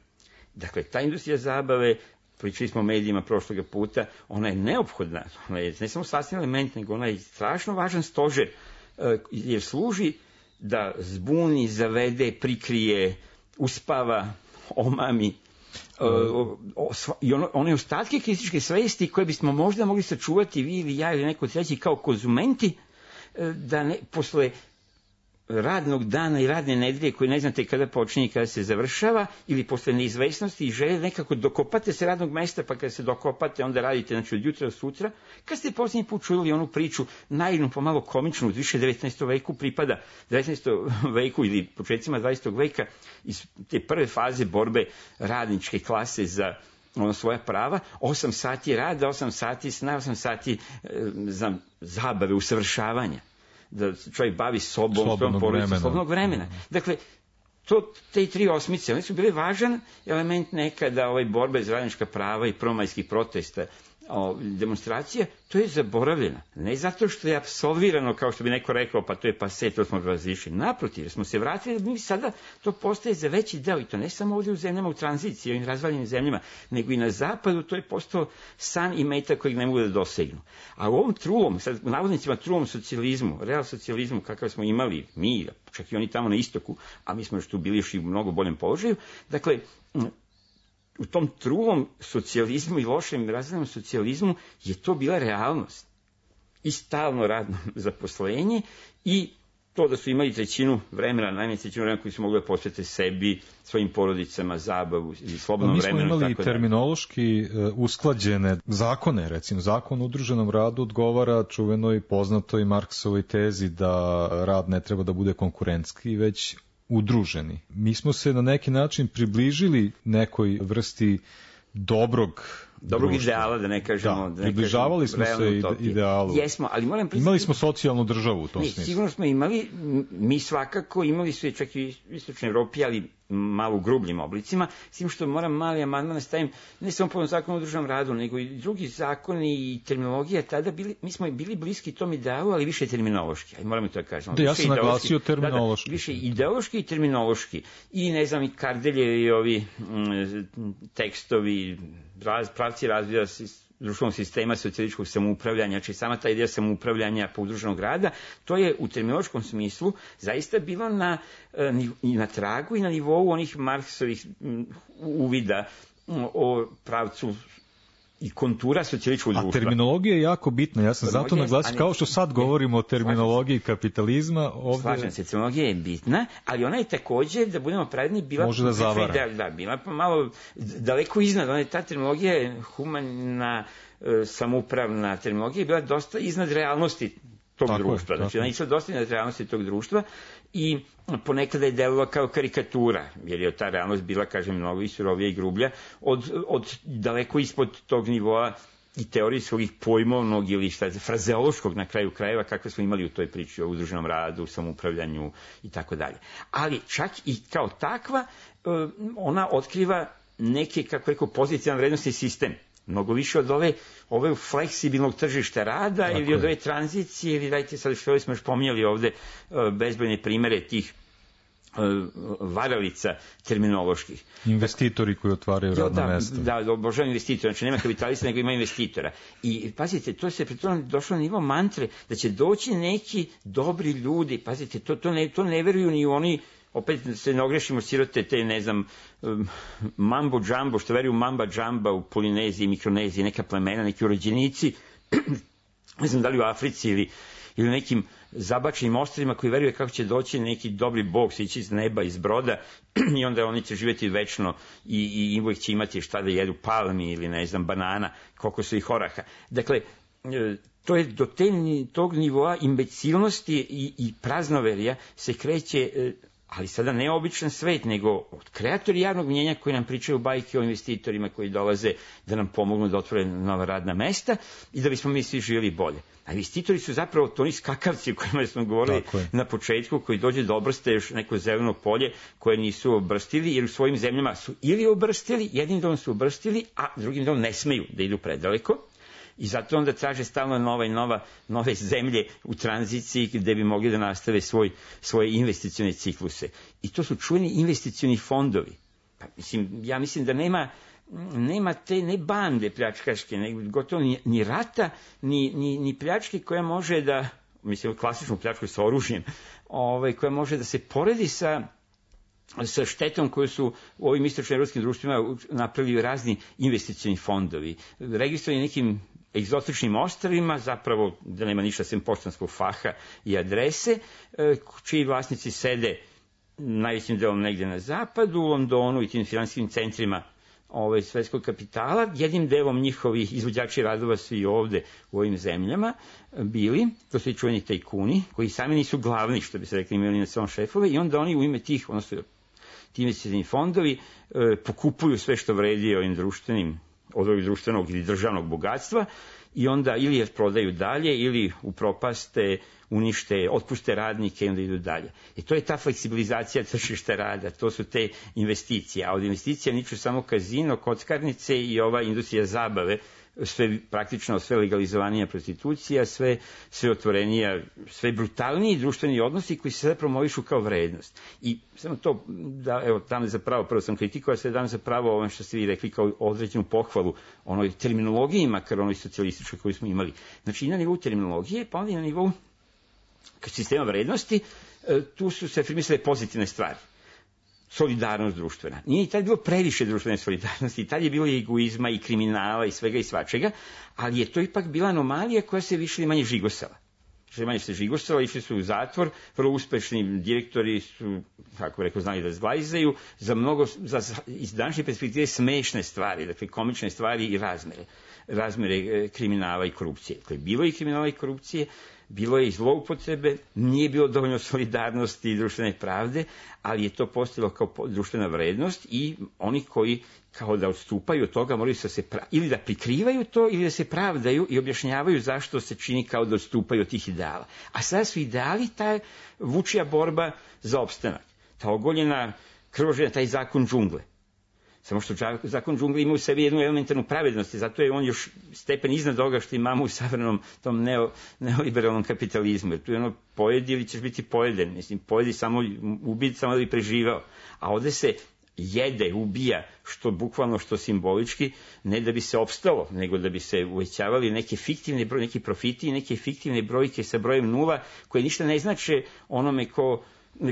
Dakle, ta industrija zabave, pričali smo o medijima prošloga puta, ona je neophodna, ona je ne samo sastavni element, nego ona je strašno važan stožer, jer služi da zbuni, zavede, prikrije, uspava, omami, i ono, one ostatke kritičke svesti koje bismo možda mogli sačuvati vi ili ja ili neko treći kao konzumenti, da ne, posle radnog dana i radne nedelje koje ne znate kada počinje i kada se završava, ili posle neizvesnosti i želje nekako dokopate se radnog mesta, pa kada se dokopate onda radite, znači od jutra do sutra. Kad ste posljednji put čuli onu priču, naivnu, pomalo komičnu, uz više devetnaestom veku pripada, devetnaestom veku ili početcima dvadesetog veka, iz te prve faze borbe radničke klase za ono svoja prava, osam sati rada, osam sati sna, osam sati e, za zabave, usavršavanja, da se čovjek bavi sobom, svojom porodicom, slobodnog vremena. Dakle, to, te tri osmice, one su bile važan element nekada ovaj borbe za radnička prava i prvomajskih protesta, o, demonstracije, to je zaboravljeno. Ne zato što je apsolvirano, kao što bi neko rekao, pa to je pase, to smo razlišli. Naprotiv, smo se vratili, mi sada to postaje za veći deo, i to ne samo ovdje u zemljama u tranziciji, u ovim razvaljenim zemljama, nego i na zapadu, to je postao san i meta kojeg ne mogu da dosegnu. A u ovom trulom, sad u navodnicima trulom socijalizmu, real socijalizmu kakav smo imali mi, čak i oni tamo na istoku, a mi smo još tu bili još i u mnogo boljem položaju, dakle, u tom trulom socijalizmu i lošem razrednom socijalizmu je to bila realnost. I stalno radno zaposlenje i to da su imali trećinu vremena, najmanje trećinu vremena koji su mogli da posvete sebi, svojim porodicama, zabavu i slobodnom vremenu. Mi smo imali terminološki usklađene zakone, recimo zakon o udruženom radu odgovara čuvenoj poznatoj Marksovoj tezi da rad ne treba da bude konkurentski, već udruženi. Mi smo se na neki način približili nekoj vrsti dobrog dobrog društva. Ideala, da ne kažemo... Da, da ne približavali kažemo smo se utopije. idealu. Jesmo, ali moram priznati... Imali smo socijalnu državu u tom ne, smislu. Sigurno smo imali, mi svakako imali su je čak i u Istočnoj Evropi, ali malo u grubljim oblicima, s tim što moram mali amandman stavim, ne samo po zakonu o udruženom radu, nego i drugi zakoni i terminologija, tada bili, mi smo bili bliski tom idealu, ali više terminološki, aj moramo to da kažemo. Da, ja sam naglasio terminološki. Da, da, više ideološki i terminološki. I ne znam, i Kardeljevi i ovi m, tekstovi, raz, pravci razvoja društvenog sistema socijalističkog samoupravljanja, znači sama ta ideja samoupravljanja po udruženog rada, to je u terminološkom smislu zaista bilo na, na tragu i na nivou onih Marksovih uvida o pravcu i kontura socijalističkog društva. A terminologija je jako bitna, ja sam zato naglasio, kao što sad govorimo o terminologiji kapitalizma, ovdje... Slažem se, terminologija je bitna, ali ona je također, da budemo pravedni, bila... Može da zavara. Da, da, bila malo daleko iznad, ona je ta terminologija, humana, samoupravna terminologija, je bila dosta iznad realnosti tog tako društva. Je, znači, ona je išla dosta iznad realnosti tog društva i ponekada je delovala kao karikatura, jer je ta realnost bila, kažem, mnogo i surovija i grublja, od, od daleko ispod tog nivoa i teorijskog i pojmovnog ili šta, frazeološkog na kraju krajeva kakve smo imali u toj priči o udruženom radu, samoupravljanju i tako dalje. Ali čak i kao takva ona otkriva neke, kako rekao, pozitivan vrednosti sistem. Mnogo više od ove, ove fleksibilnog tržišta rada tako ili je. Od ove tranzicije, ili dajte sad što smo još pominjali ovde bezbrojne primere tih varalica terminoloških. Investitori koji otvaraju radna da, mesta. Da, da, obožavam investitora, znači nema kapitalista nego ima investitora. I pazite, to se pri tome došlo na nivo mantre, da će doći neki dobri ljudi, pazite, to, to, ne, to ne veruju ni oni, opet se ne ogrešimo sirote te, ne znam, mambo džambo, što veruju mamba džamba u Polineziji, Mikroneziji, neka plemena, neki urođenici, ne znam da li u Africi ili, ili nekim zabačenim ostrvima koji veruje kako će doći neki dobri bog, sići iz neba, iz broda i onda oni će živjeti večno i, i uvijek će imati šta da jedu, palmi ili ne znam, banana, koliko su ih oraha. Dakle, to je do te, tog nivoa imbecilnosti i, i praznoverija se kreće, ali sada ne običan svet, nego od kreatori javnog mnjenja koji nam pričaju bajke o investitorima koji dolaze da nam pomognu da otvore nova radna mesta i da bismo mi svi živjeli bolje. A investitori su zapravo to oni skakavci o kojima smo govorili na početku, koji dođe da obrste još neko zeleno polje koje nisu obrstili, jer u svojim zemljama su ili obrstili, jednim delom su obrstili, a drugim delom ne smeju da idu predaleko. I zato onda traže stalno nova i nova, nove zemlje u tranziciji gde bi mogli da nastave svoj, svoje investicione cikluse. I to su čuveni investicioni fondovi. Pa, mislim, ja mislim da nema nema te ne bande pljačkaške, ne, gotovo ni, ni rata, ni, ni, ni pljačke koja može da, mislim, klasičnu pljačku sa oružjem, ovaj, koja može da se poredi sa sa štetom koju su u ovim istočnoevropskim društvima napravili razni investicioni fondovi, registrovani nekim egzotičnim ostrvima, zapravo da nema ništa sem poštanskog faha i adrese, čiji vlasnici sede najvećim delom negde na zapadu, u Londonu i tim finansijskim centrima ovaj, svetskog kapitala, jednim delom njihovi izvođači radova su i ovde u ovim zemljama bili, to su i čuveni tajkuni, koji sami nisu glavni, što bi se rekli, imali na svom šefove, i onda oni u ime tih, odnosno ti investicioni fondovi, e, pokupuju sve što vredi ovim društvenim, od ovog društvenog ili državnog bogatstva, i onda ili je prodaju dalje, ili upropaste, unište, otpuste radnike i onda idu dalje. I to je ta fleksibilizacija tržišta rada, to su te investicije. A od investicija niču samo kazino, kockarnice i ova industrija zabave, sve praktično sve legalizovanija prostitucija, sve, sve otvorenija, sve brutalniji društveni odnosi koji se sada promovišu kao vrednost. I samo to, da, evo, dam za pravo, prvo sam kritikovao, sve dam za pravo ovo što ste vi rekli kao određenu pohvalu onoj terminologiji, makar onoj socijalističkoj koju smo imali. Znači i na nivou terminologije, pa onda i na nivou sistema vrednosti, tu su se afirmisale pozitivne stvari. Solidarnost društvena. Nije i tad bilo previše društvene solidarnosti, i tad je bilo i egoizma i kriminala i svega i svačega, ali je to ipak bila anomalija koja se više ili manje žigosala. Više manje se žigosala, išli su u zatvor, vrlo uspešni direktori su, kako rekao, znali da zglajzaju, za mnogo, za, iz današnje perspektive smešne stvari, dakle komične stvari i razmere, razmere kriminala i korupcije. Dakle, bilo je i kriminala i korupcije, bilo je i zloupotrebe, nije bilo dovoljno solidarnosti i društvene pravde, ali je to postojalo kao društvena vrednost i oni koji kao da odstupaju od toga moraju se pra... ili da prikrivaju to ili da se pravdaju i objašnjavaju zašto se čini kao da odstupaju od tih ideala. A sada su ideali ta vučija borba za opstanak, ta ogoljena krvožedna, taj zakon džungle. Samo što zakon džungle ima u sebi jednu elementarnu pravednost i zato je on još stepen iznad toga što imamo u savremenom tom neo, neoliberalnom kapitalizmu. Jer tu je ono, pojedi ili ćeš biti pojeden. Mislim, pojedi samo, ubiti samo da bi preživao. A ovde se jede, ubija, što bukvalno, što simbolički, ne da bi se opstalo, nego da bi se uvećavali neke fiktivne broj, neki profiti i neke fiktivne brojke sa brojem nula, koje ništa ne znače onome ko,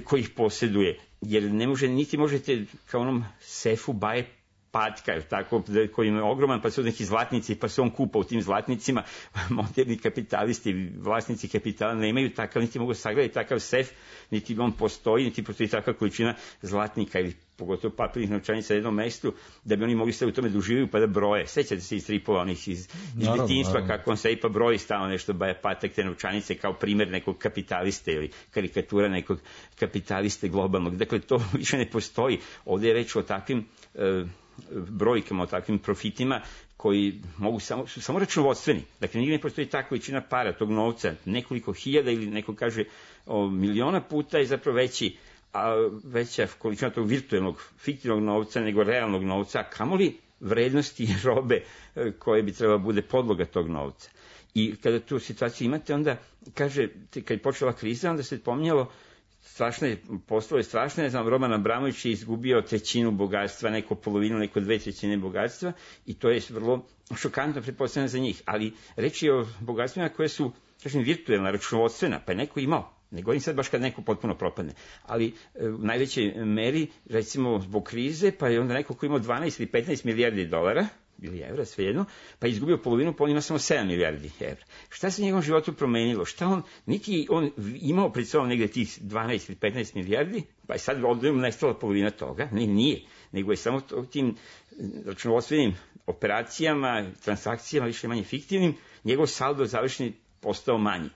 ko ih posjeduje. Jer ne može, niti možete kao onom sefu baje patka, tako, koji je ogroman, pa su neki zlatnici, pa se on kupa u tim zlatnicima. Moderni kapitalisti, vlasnici kapitala nemaju takav, niti mogu sagledati takav sef, niti on postoji, niti postoji takva količina zlatnika ili pogotovo papirnih novčanica na jednom mestu, da bi oni mogli sve u tome da uživaju pa da broje. Sećate se iz stripova onih iz, iz detinjstva, kako on se i pa broji stalno nešto, baja patak te novčanice kao primjer nekog kapitaliste ili karikatura nekog kapitaliste globalnog. Dakle, to više ne postoji. Ovdje je reč o takvim e, brojkama, o takvim profitima koji mogu samo, su samo računovodstveni. Dakle, nigdje ne postoji ta količina para, tog novca, nekoliko hiljada ili neko kaže o, miliona puta je zapravo veći, a veća količina tog virtualnog, fiktivnog novca nego realnog novca, a kamoli vrednosti robe koje bi trebala bude podloga tog novca. I kada tu situaciju imate, onda kaže, kad je počela kriza, onda se pominjalo strašne, postalo strašne, ne znam, Roman Abramović je izgubio trećinu bogatstva, neko polovinu, neko dve trećine bogatstva i to je vrlo šokantno pretpostavljeno za njih. Ali reč je o bogatstvima koje su, kažem, virtualna, računovodstvena, pa je neko imao. Ne govorim sad baš kad neko potpuno propadne, ali u najvećoj meri, recimo zbog krize, pa je onda neko ko imao dvanaest ili petnaest milijardi dolara, ili evra, svejedno, pa je izgubio polovinu, pa on ima samo sedam milijardi evra. Šta se njegovom životu promenilo? Šta on, niti on imao pred sobom negde tih dvanaest ili petnaest milijardi, pa je sad ovdje nestala polovina toga, ne, nije, nego je samo tim računovodstvenim operacijama, transakcijama, više manje fiktivnim, njegov saldo završeni postao manji.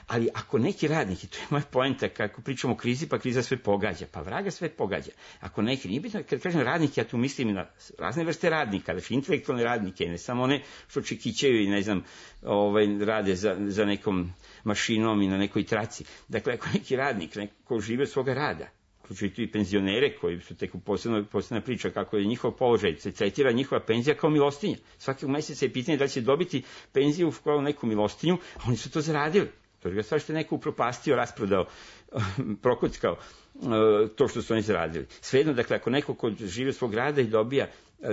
Ali ako neki radnik, i to je moja poenta, kako pričamo o krizi, pa kriza sve pogađa, pa vraga sve pogađa. Ako neki, nije bitno, kad kažem radnik, ja tu mislim na razne vrste radnika, znači intelektualne radnike, ne samo one što čekićaju i ne znam, ovaj, rade za, za nekom mašinom i na nekoj traci. Dakle, ako neki radnik, neko žive od svoga rada, uključujući i penzionere koji su tek u posebno, posebna priča kako je njihov položaj, se tretira njihova penzija kao milostinja. Svakog mjeseca je pitanje da će dobiti penziju kao neku milostinju, a oni su to zaradili. To je druga stvar što je neko upropastio, rasprodao, prokockao to što su oni zaradili. Svejedno, dakle, ako neko ko živi od svog rada i dobija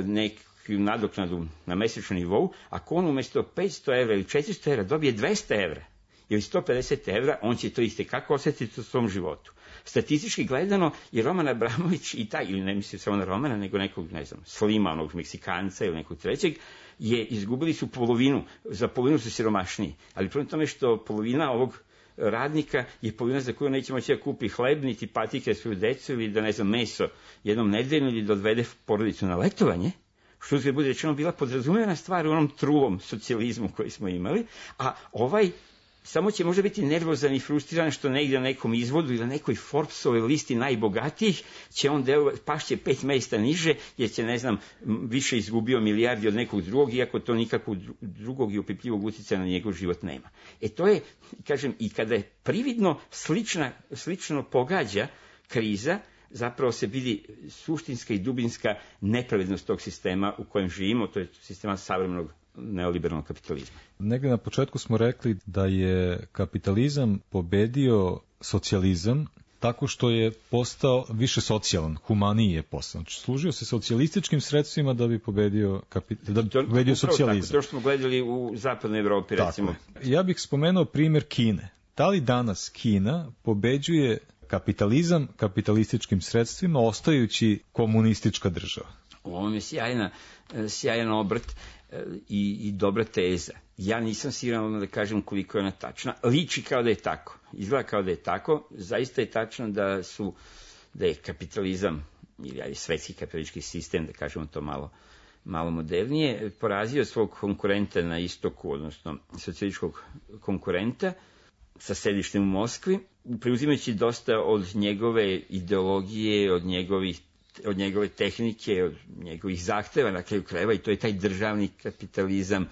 neku nadoknadu na mesečnom nivou, ako on umesto petsto evra ili četiristo evra dobije dvesta evra ili sto pedeset evra, on će to itekako osjetiti u svom životu. Statistički gledano je Roman Abramović i taj, ili ne mislim samo na Romana, nego nekog, ne znam, Slima, onog Meksikanca ili nekog trećeg, je izgubili su polovinu, za polovinu su siromašniji. Ali prema tome što polovina ovog radnika je polovina za koju neće moći da kupi hleb, niti patike svoju decu, ili da, ne znam, meso jednom nedeljno, ili da odvede porodicu na letovanje, što je bude rečeno bila podrazumevana stvar u onom trulom socijalizmu koji smo imali, a ovaj samo će možda biti nervozan i frustriran što negdje na nekom izvodu ili na nekoj Forbesovoj listi najbogatijih će on delo, pašće pet mjesta niže jer će, ne znam, više izgubio milijardi od nekog drugog, iako to nikakvog drugog i opipljivog utjecaja na njegov život nema. E to je, kažem, i kada je prividno slična, slično pogađa kriza, zapravo se vidi suštinska i dubinska nepravednost tog sistema u kojem živimo, to je sistema savremenog neoliberalnog kapitalizma. Negdje na početku smo rekli da je kapitalizam pobedio socijalizam tako što je postao više socijalan, humaniji je postao. Znači, služio se socijalističkim sredstvima da bi pobedio, kapi... da bi to, pobedio socijalizam. Tako, to što smo gledali u zapadnoj Evropi, recimo. Tako. Ja bih spomenuo primjer Kine. Da li danas Kina pobeđuje kapitalizam kapitalističkim sredstvima, ostajući komunistička država? Ovo je sjajna, sjajan obrt i, i dobra teza. Ja nisam siguran da kažem koliko je ona tačna. Liči kao da je tako. Izgleda kao da je tako. Zaista je tačno da su, da je kapitalizam, ili ali svetski kapitalistički sistem, da kažemo to malo, malo modernije, porazio svog konkurenta na istoku, odnosno socijalističkog konkurenta sa sedištem u Moskvi, preuzimajući dosta od njegove ideologije, od njegovih od njegove tehnike, od njegovih zahteva na kraju krajeva, i to je taj državni kapitalizam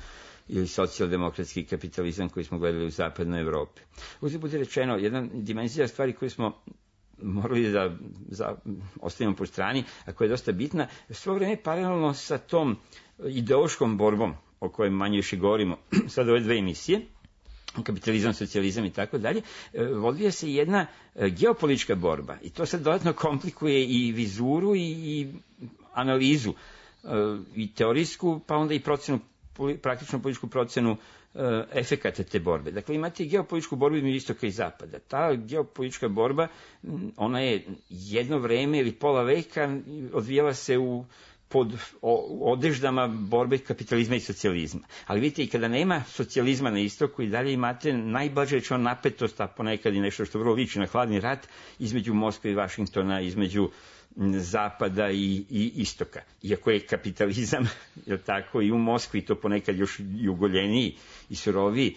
ili socijaldemokratski kapitalizam koji smo gledali u zapadnoj Evropi. Uzgled bude rečeno, jedna dimenzija stvari koju smo morali da za, ostavimo po strani, a koja je dosta bitna, svo vreme paralelno sa tom ideološkom borbom o kojoj manje više govorimo sad ove dve emisije, kapitalizam, socijalizam i tako dalje, odvija se jedna geopolitička borba i to sad dodatno komplikuje i vizuru i, i analizu i teorijsku, pa onda i procenu, praktičnu političku procenu efekata te borbe. Dakle, imate geopolitičku borbu između istoka i zapada. Ta geopolitička borba, ona je jedno vreme ili pola veka odvijala se u pod odeždama borbe kapitalizma i socijalizma. Ali vidite, i kada nema socijalizma na istoku, i dalje imate najblaže rečeno napetost, a ponekad i nešto što vrlo liči na hladni rat, između Moskve i Vašingtona, između zapada i, i istoka. Iako je kapitalizam, je tako, i u Moskvi, to ponekad još i ugoljeniji i suroviji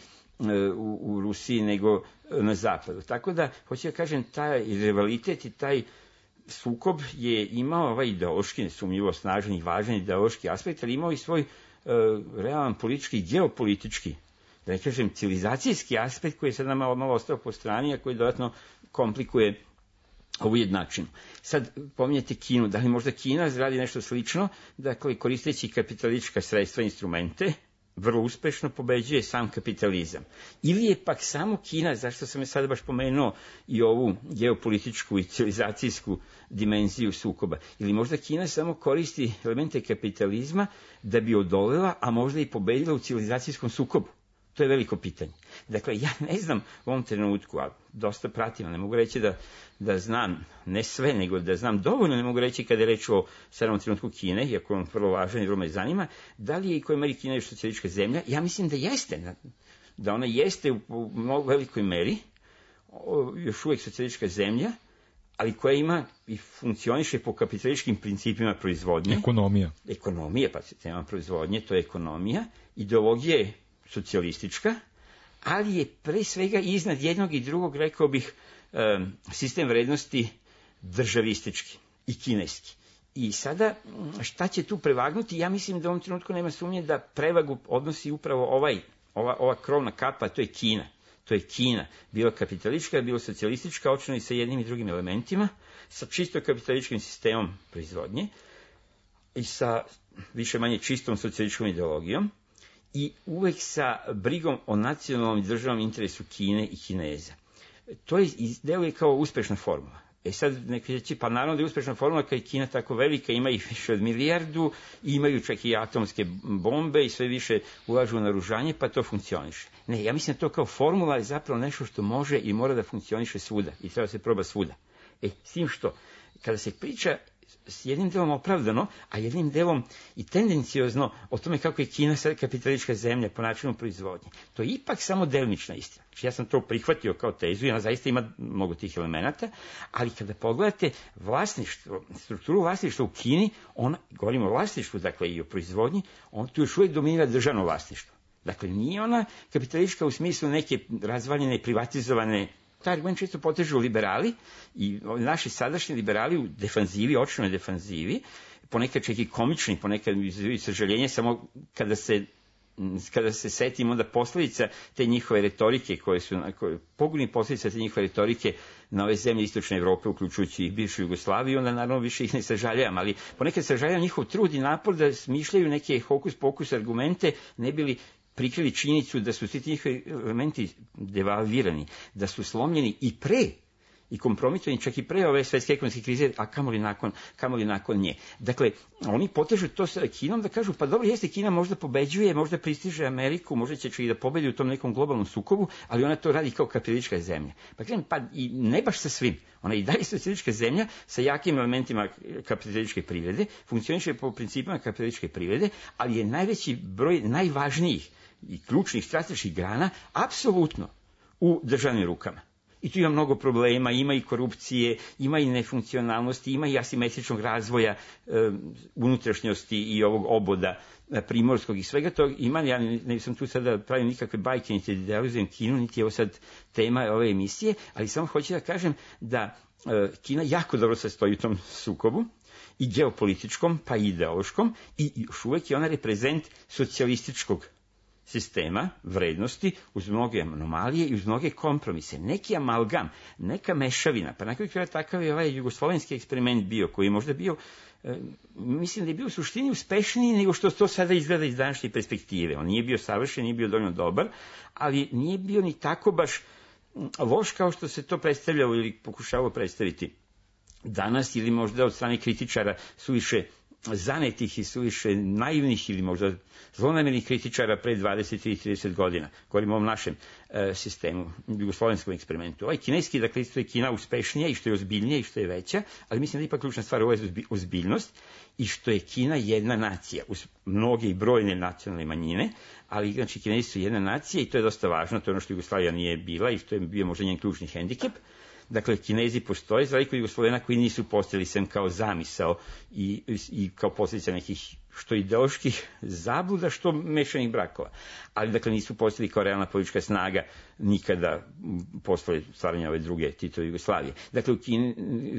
u, u Rusiji nego na zapadu. Tako da, hoću da kažem, taj rivalitet i taj sukob je imao ovaj ideološki, nesumnjivo snažan i važan ideološki aspekt, ali imao i svoj e, realan politički i geopolitički, da ne kažem civilizacijski aspekt koji je sad nam malo, malo ostao po strani, a koji dodatno komplikuje ovu jednačinu. Sad pominjate Kinu, da li možda Kina radi nešto slično, dakle koristeći kapitalistička sredstva i instrumente, vrlo uspešno pobeđuje sam kapitalizam. Ili je pak samo Kina, zašto sam je sada baš pomenuo i ovu geopolitičku i civilizacijsku dimenziju sukoba, ili možda Kina samo koristi elemente kapitalizma da bi odolela, a možda i pobedila u civilizacijskom sukobu. To je veliko pitanje. Dakle, ja ne znam u ovom trenutku, a dosta pratim, ne mogu reći da, da znam, ne sve, nego da znam dovoljno, ne mogu reći kada je reč o sadanom trenutku Kine, iako on vrlo važan i vrlo me zanima, da li je i koja meri Kina još socijalistička zemlja? Ja mislim da jeste, da ona jeste u, u mnogo velikoj meri još uvijek socijalistička zemlja, ali koja ima i funkcioniše po kapitalističkim principima proizvodnje. Ekonomija. Ekonomija, pa se tema proizvodnje, to je ekonomija. Ideologija je socijalistička, ali je pre svega iznad jednog i drugog, rekao bih, sistem vrednosti državistički i kineski. I sada, šta će tu prevagnuti? Ja mislim da u ovom trenutku nema sumnje da prevagu odnosi upravo ovaj, ova, ova krovna kapa, to je Kina. To je Kina, bilo kapitalistička, bilo socijalistička, očino i sa jednim i drugim elementima, sa čisto kapitalističkim sistemom proizvodnje i sa više manje čistom socijalističkom ideologijom. i uvek sa brigom o nacionalnom i državnom interesu Kine i Kineza. To je, deluje kao uspešna formula. E sad neki reći, pa naravno da je uspešna formula kad je Kina tako velika, ima ih više od milijardu, imaju čak i atomske bombe i sve više ulažu u naoružanje, pa to funkcioniše. Ne, ja mislim da to kao formula je zapravo nešto što može i mora da funkcioniše svuda i treba se proba svuda. E, s tim što, kada se priča s jednim delom opravdano, a jednim delom i tendenciozno o tome kako je Kina sad kapitalistička zemlja po načinu proizvodnje. To je ipak samo delimična istina. Znači, ja sam to prihvatio kao tezu i ona zaista ima mnogo tih elemenata, ali kada pogledate vlasništvo, strukturu vlasništva u Kini, ona, govorimo o vlasništvu, dakle i o proizvodnji, on tu još uvijek dominira državno vlasništvo. Dakle, nije ona kapitalistička u smislu neke razvaljene, privatizovane. Taj argument često potežu liberali i naši sadašnji liberali u defanzivi, očnoj defanzivi, ponekad čak i komični, ponekad izazivaju sažaljenje, samo kada se kada se setimo da posljedica te njihove retorike, koje su koje, pogubni posljedica te njihove retorike na ove zemlje istočne Evrope, uključujući i bivšu Jugoslaviju, onda naravno više ih ne sažaljavam, ali ponekad sažaljavam njihov trud i napor da smišljaju neke hokus pokus argumente, ne bili prikrili činjenicu da su svi ti njihovi elementi devalvirani, da su slomljeni i pre i kompromitovani čak i pre ove svetske ekonomske krize, a kamoli nakon, kamoli nakon nje. Dakle, oni potežu to sa Kinom da kažu, pa dobro, jeste, Kina možda pobeđuje, možda pristiže Ameriku, možda će čak i da pobedi u tom nekom globalnom sukobu, ali ona to radi kao kapitalistička zemlja. Pa kažem, pa i ne baš sa svim. Ona i dalje socijalistička zemlja sa jakim elementima kapitalističke privrede, funkcioniše po principima kapitalističke privrede, ali je najveći broj najvažnijih i ključnih strateških grana apsolutno u državnim rukama. I tu ima mnogo problema, ima i korupcije, ima i nefunkcionalnosti, ima i asimetričnog razvoja e, unutrašnjosti i ovog oboda e, primorskog i svega toga. Ima, ja ne, ne sam tu sada pravim nikakve bajke, niti idealizujem Kinu, niti je ovo sad tema ove emisije, ali samo hoću da kažem da e, Kina jako dobro se stoji u tom sukobu, i geopolitičkom, pa i ideološkom, i još uvek je ona reprezent socijalističkog sistema, vrednosti, uz mnoge anomalije i uz mnoge kompromise. Neki amalgam, neka mešavina, pa nakon kraja takav je ovaj jugoslovenski eksperiment bio, koji je možda bio, e, mislim da je bio u suštini uspešniji nego što to sada izgleda iz današnje perspektive. On nije bio savršen, nije bio dovoljno dobar, ali nije bio ni tako baš loš kao što se to predstavljalo ili pokušavalo predstaviti danas, ili možda od strane kritičara suviše zanetih i suviše naivnih ili možda zlonamernih kritičara pre dvadeset ili trideset godina. Govorimo o ovom našem e, sistemu, jugoslovenskom eksperimentu. Ovaj kineski, dakle, isto je Kina uspešnija i što je ozbiljnija i što je veća, ali mislim da ipak ključna stvar ovo je ozbiljnost i što je Kina jedna nacija, uz mnoge i brojne nacionalne manjine, ali znači Kinezi su jedna nacija i to je dosta važno, to je ono što Jugoslavija nije bila i što je bio možda njen ključni hendikep. Dakle, Kinezi postoje, za razliku od Jugoslovena koji nisu postojali sem kao zamisao i, i kao posljedica nekih što ideoloških zabluda, što mešanih brakova. Ali, dakle, nisu postojali kao realna politička snaga nikada posle stvaranja ove druge Titove Jugoslavije. Dakle, u Kini,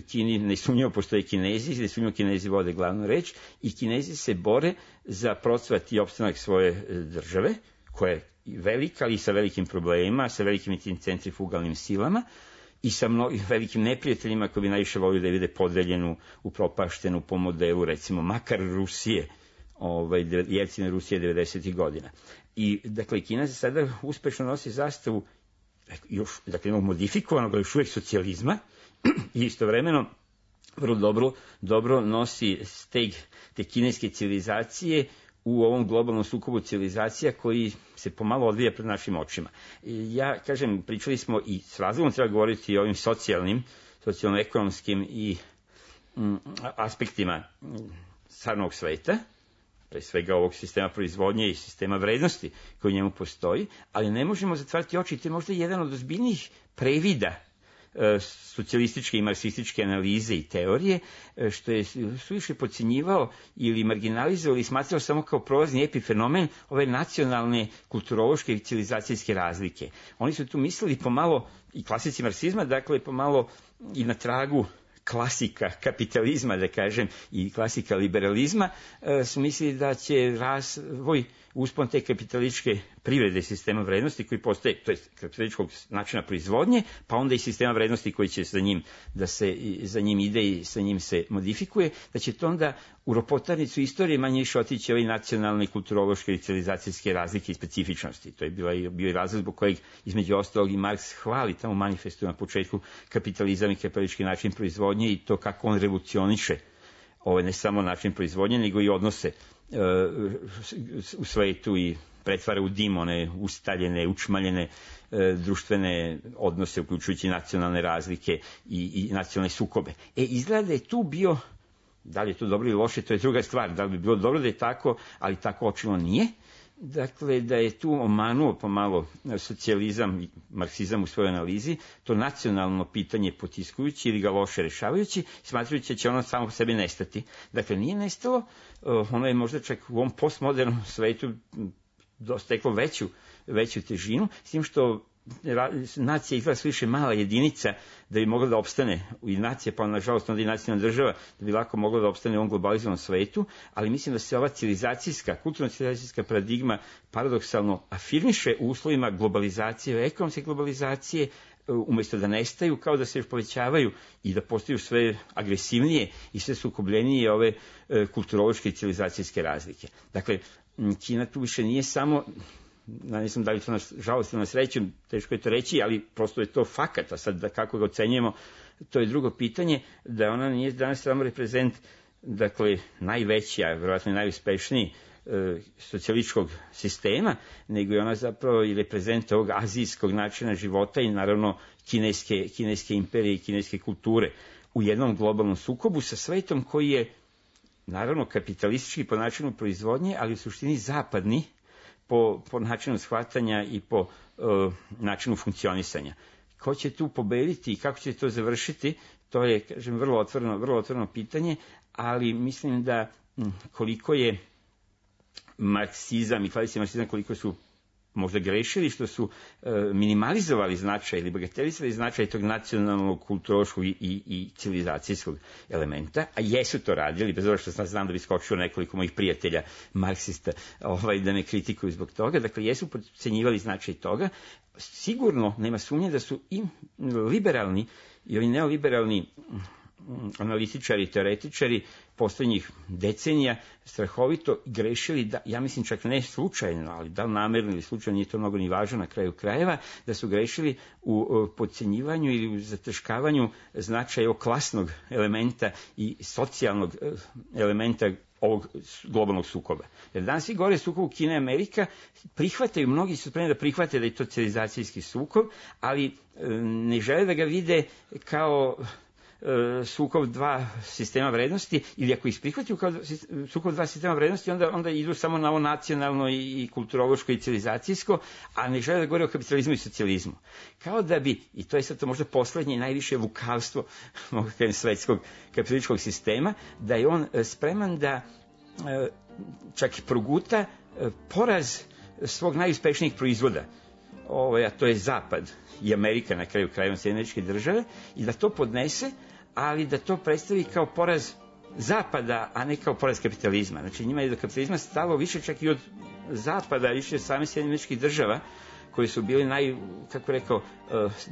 Kini nesumnjivo postoje Kinezi, nesumnjivo Kinezi vode glavnu reč i Kinezi se bore za procvat i opstanak svoje države, koja je velika, ali sa velikim problemima, sa velikim centrifugalnim silama, i sa mnogim velikim neprijateljima koji bi najviše volio da je vide podeljenu, upropaštenu po modelu, recimo, makar Rusije, ovaj, Jelcine Rusije devedesetih godina. I, dakle, Kina se sada uspešno nosi zastavu, još, dakle, jednog modifikovanog, ali još uvijek socijalizma, i istovremeno vrlo dobro, dobro nosi steg te kineske civilizacije u ovom globalnom sukobu civilizacija koji se pomalo odvija pred našim očima. Ja, kažem, pričali smo i s razlogom treba govoriti o ovim socijalnim, socijalno-ekonomskim i mm, aspektima stvarnog sveta, pre svega ovog sistema proizvodnje i sistema vrednosti koji u njemu postoji, ali ne možemo zatvarati oči, to je možda jedan od ozbiljnijih previda socijalističke i marksističke analize i teorije, što je suviše podcjenjivao ili marginalizao ili smatrao samo kao prolazni epifenomen ove nacionalne kulturološke i civilizacijske razlike. Oni su tu mislili pomalo, i klasici marksizma, dakle pomalo i na tragu klasika kapitalizma, da kažem, i klasika liberalizma, su mislili da će razvoj uspon te kapitalističke privrede sistema vrednosti koji postoje, to je kapitalističkog načina proizvodnje, pa onda i sistema vrednosti koji će za njim, da se za njim ide i sa njim se modifikuje, da će to onda u ropotarnicu istorije manje više otići ove nacionalne, kulturološke i civilizacijske razlike i specifičnosti. To je bila, bio i razlog zbog kojeg između ostalog i Marks hvali tamo u manifestu na početku kapitalizam i kapitalistički način proizvodnje i to kako on revolucioniše ovaj, ne samo način proizvodnje, nego i odnose e, u svetu i pretvara u dim one ustaljene, učmaljene e, društvene odnose, uključujući nacionalne razlike i, i nacionalne sukobe. E, izgleda je tu bio, da li je to dobro ili loše, to je druga stvar, da li bi bilo dobro da je tako, ali tako očino nije. Dakle, da je tu omanuo pomalo socijalizam i marksizam u svojoj analizi, to nacionalno pitanje potiskujući ili ga loše rešavajući, smatrajući da će ono samo po sebi nestati. Dakle, nije nestalo, ono je možda čak u ovom postmodernom svetu dosteklo veću, veću težinu, s tim što nacija izgleda više mala jedinica da bi mogla da opstane i nacija, pa nažalost onda i nacionalna država, da bi lako mogla da opstane u ovom globalizovanom svetu, ali mislim da se ova civilizacijska, kulturno-civilizacijska paradigma paradoksalno afirmiše u uslovima globalizacije, ekonomske globalizacije, umjesto da nestaju, kao da se još povećavaju i da postaju sve agresivnije i sve sukobljenije ove kulturološke i civilizacijske razlike. Dakle, Kina tu više nije samo, ne znam da li to na žalost ili na sreću, teško je to reći, ali prosto je to fakat, a sad da kako ga ocenjujemo, to je drugo pitanje, da ona nije danas samo reprezent, dakle, najveći, a vjerojatno najuspešniji e, socijalističkog sistema, nego je ona zapravo i reprezent ovog azijskog načina života i naravno kineske, kineske imperije i kineske kulture u jednom globalnom sukobu sa svetom koji je naravno kapitalistički po načinu proizvodnje, ali u suštini zapadni, Po, po načinu shvatanja i po uh, načinu funkcionisanja. Ko će tu pobediti i kako će to završiti, to je, kažem, vrlo otvoreno, vrlo otvoreno pitanje, ali mislim da m, koliko je marksizam i klasični marksizam, koliko su možda grešili što su e, minimalizovali značaj ili bagatelizovali značaj tog nacionalnog, kulturološkog i, i, i civilizacijskog elementa, a jesu to radili, bez obzira što sam znam da bi skočio nekoliko mojih prijatelja marksista ovaj, da me kritikuju zbog toga, dakle jesu podcenjivali značaj toga. Sigurno nema sumnje da su i liberalni i ovi neoliberalni analitičari, teoretičari posljednjih decenija strahovito grešili, da, ja mislim čak ne slučajno, ali da li namerno ili slučajno, nije to mnogo ni važno na kraju krajeva, da su grešili u podcenjivanju ili u zateškavanju značaja klasnog elementa i socijalnog elementa ovog globalnog sukoba. Jer danas svi govore sukobu Kina i Amerika, prihvataju, mnogi su spremni da prihvate da je to civilizacijski sukob, ali ne žele da ga vide kao sukob dva sistema vrednosti, ili ako ih prihvataju kao sukob dva sistema vrednosti, onda, onda idu samo na ovo nacionalno i, i kulturološko i civilizacijsko, a ne žele da govore o kapitalizmu i socijalizmu. Kao da bi, i to je sad to možda poslednje i najviše lukavstvo svetskog kapitalističkog sistema, da je on spreman da čak i proguta poraz svog najuspešnijih proizvoda, ovo, a to je Zapad i Amerika na kraju krajeva Sjedinjene Američke Države, i da to podnese, ali da to predstavi kao poraz Zapada, a ne kao poraz kapitalizma. Znači njima je do kapitalizma stalo više čak i od Zapada, više od same Sjedinjenih Američkih Država, koji su bili naj, kako rekao,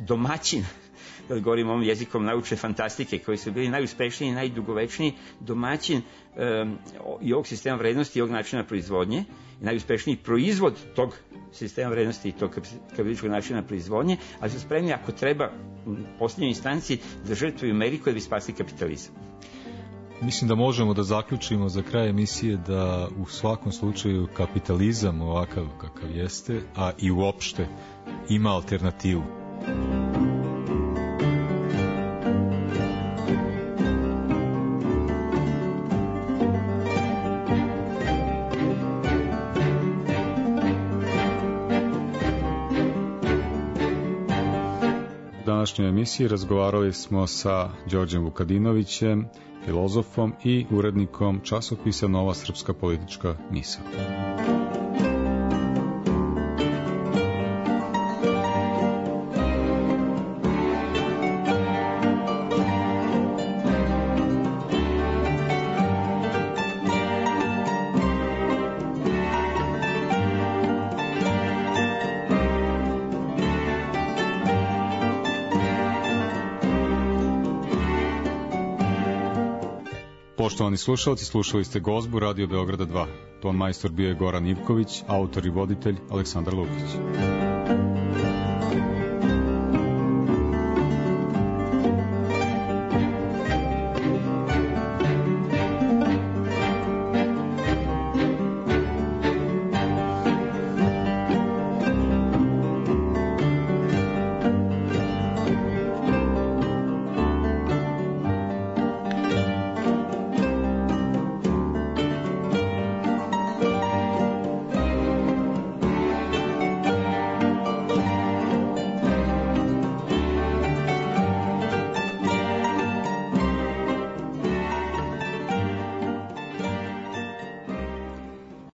domaćin, da govorim ovom jezikom naučne fantastike, koji su bili najuspešniji i najdugovečniji domaćin um, i ovog sistema vrednosti i ovog načina proizvodnje, i najuspešniji proizvod tog sistema vrednosti i tog kapitalističkog načina proizvodnje, ali su spremni, ako treba, u posljednjoj instanci, da žrtvuju Ameriku da bi spasli kapitalizam. Mislim da možemo da zaključimo za kraj emisije da u svakom slučaju kapitalizam ovakav kakav jeste, a i uopšte ima alternativu. U današnjoj emisiji razgovarali smo sa Đorđem Vukadinovićem, filozofom i urednikom časopisa Nova srpska politička misao. Poštovani slušalci, slušali ste Gozbu Radio Beograda dva. Ton majstor bio je Goran Ivković, autor i voditelj Aleksandar Lukić.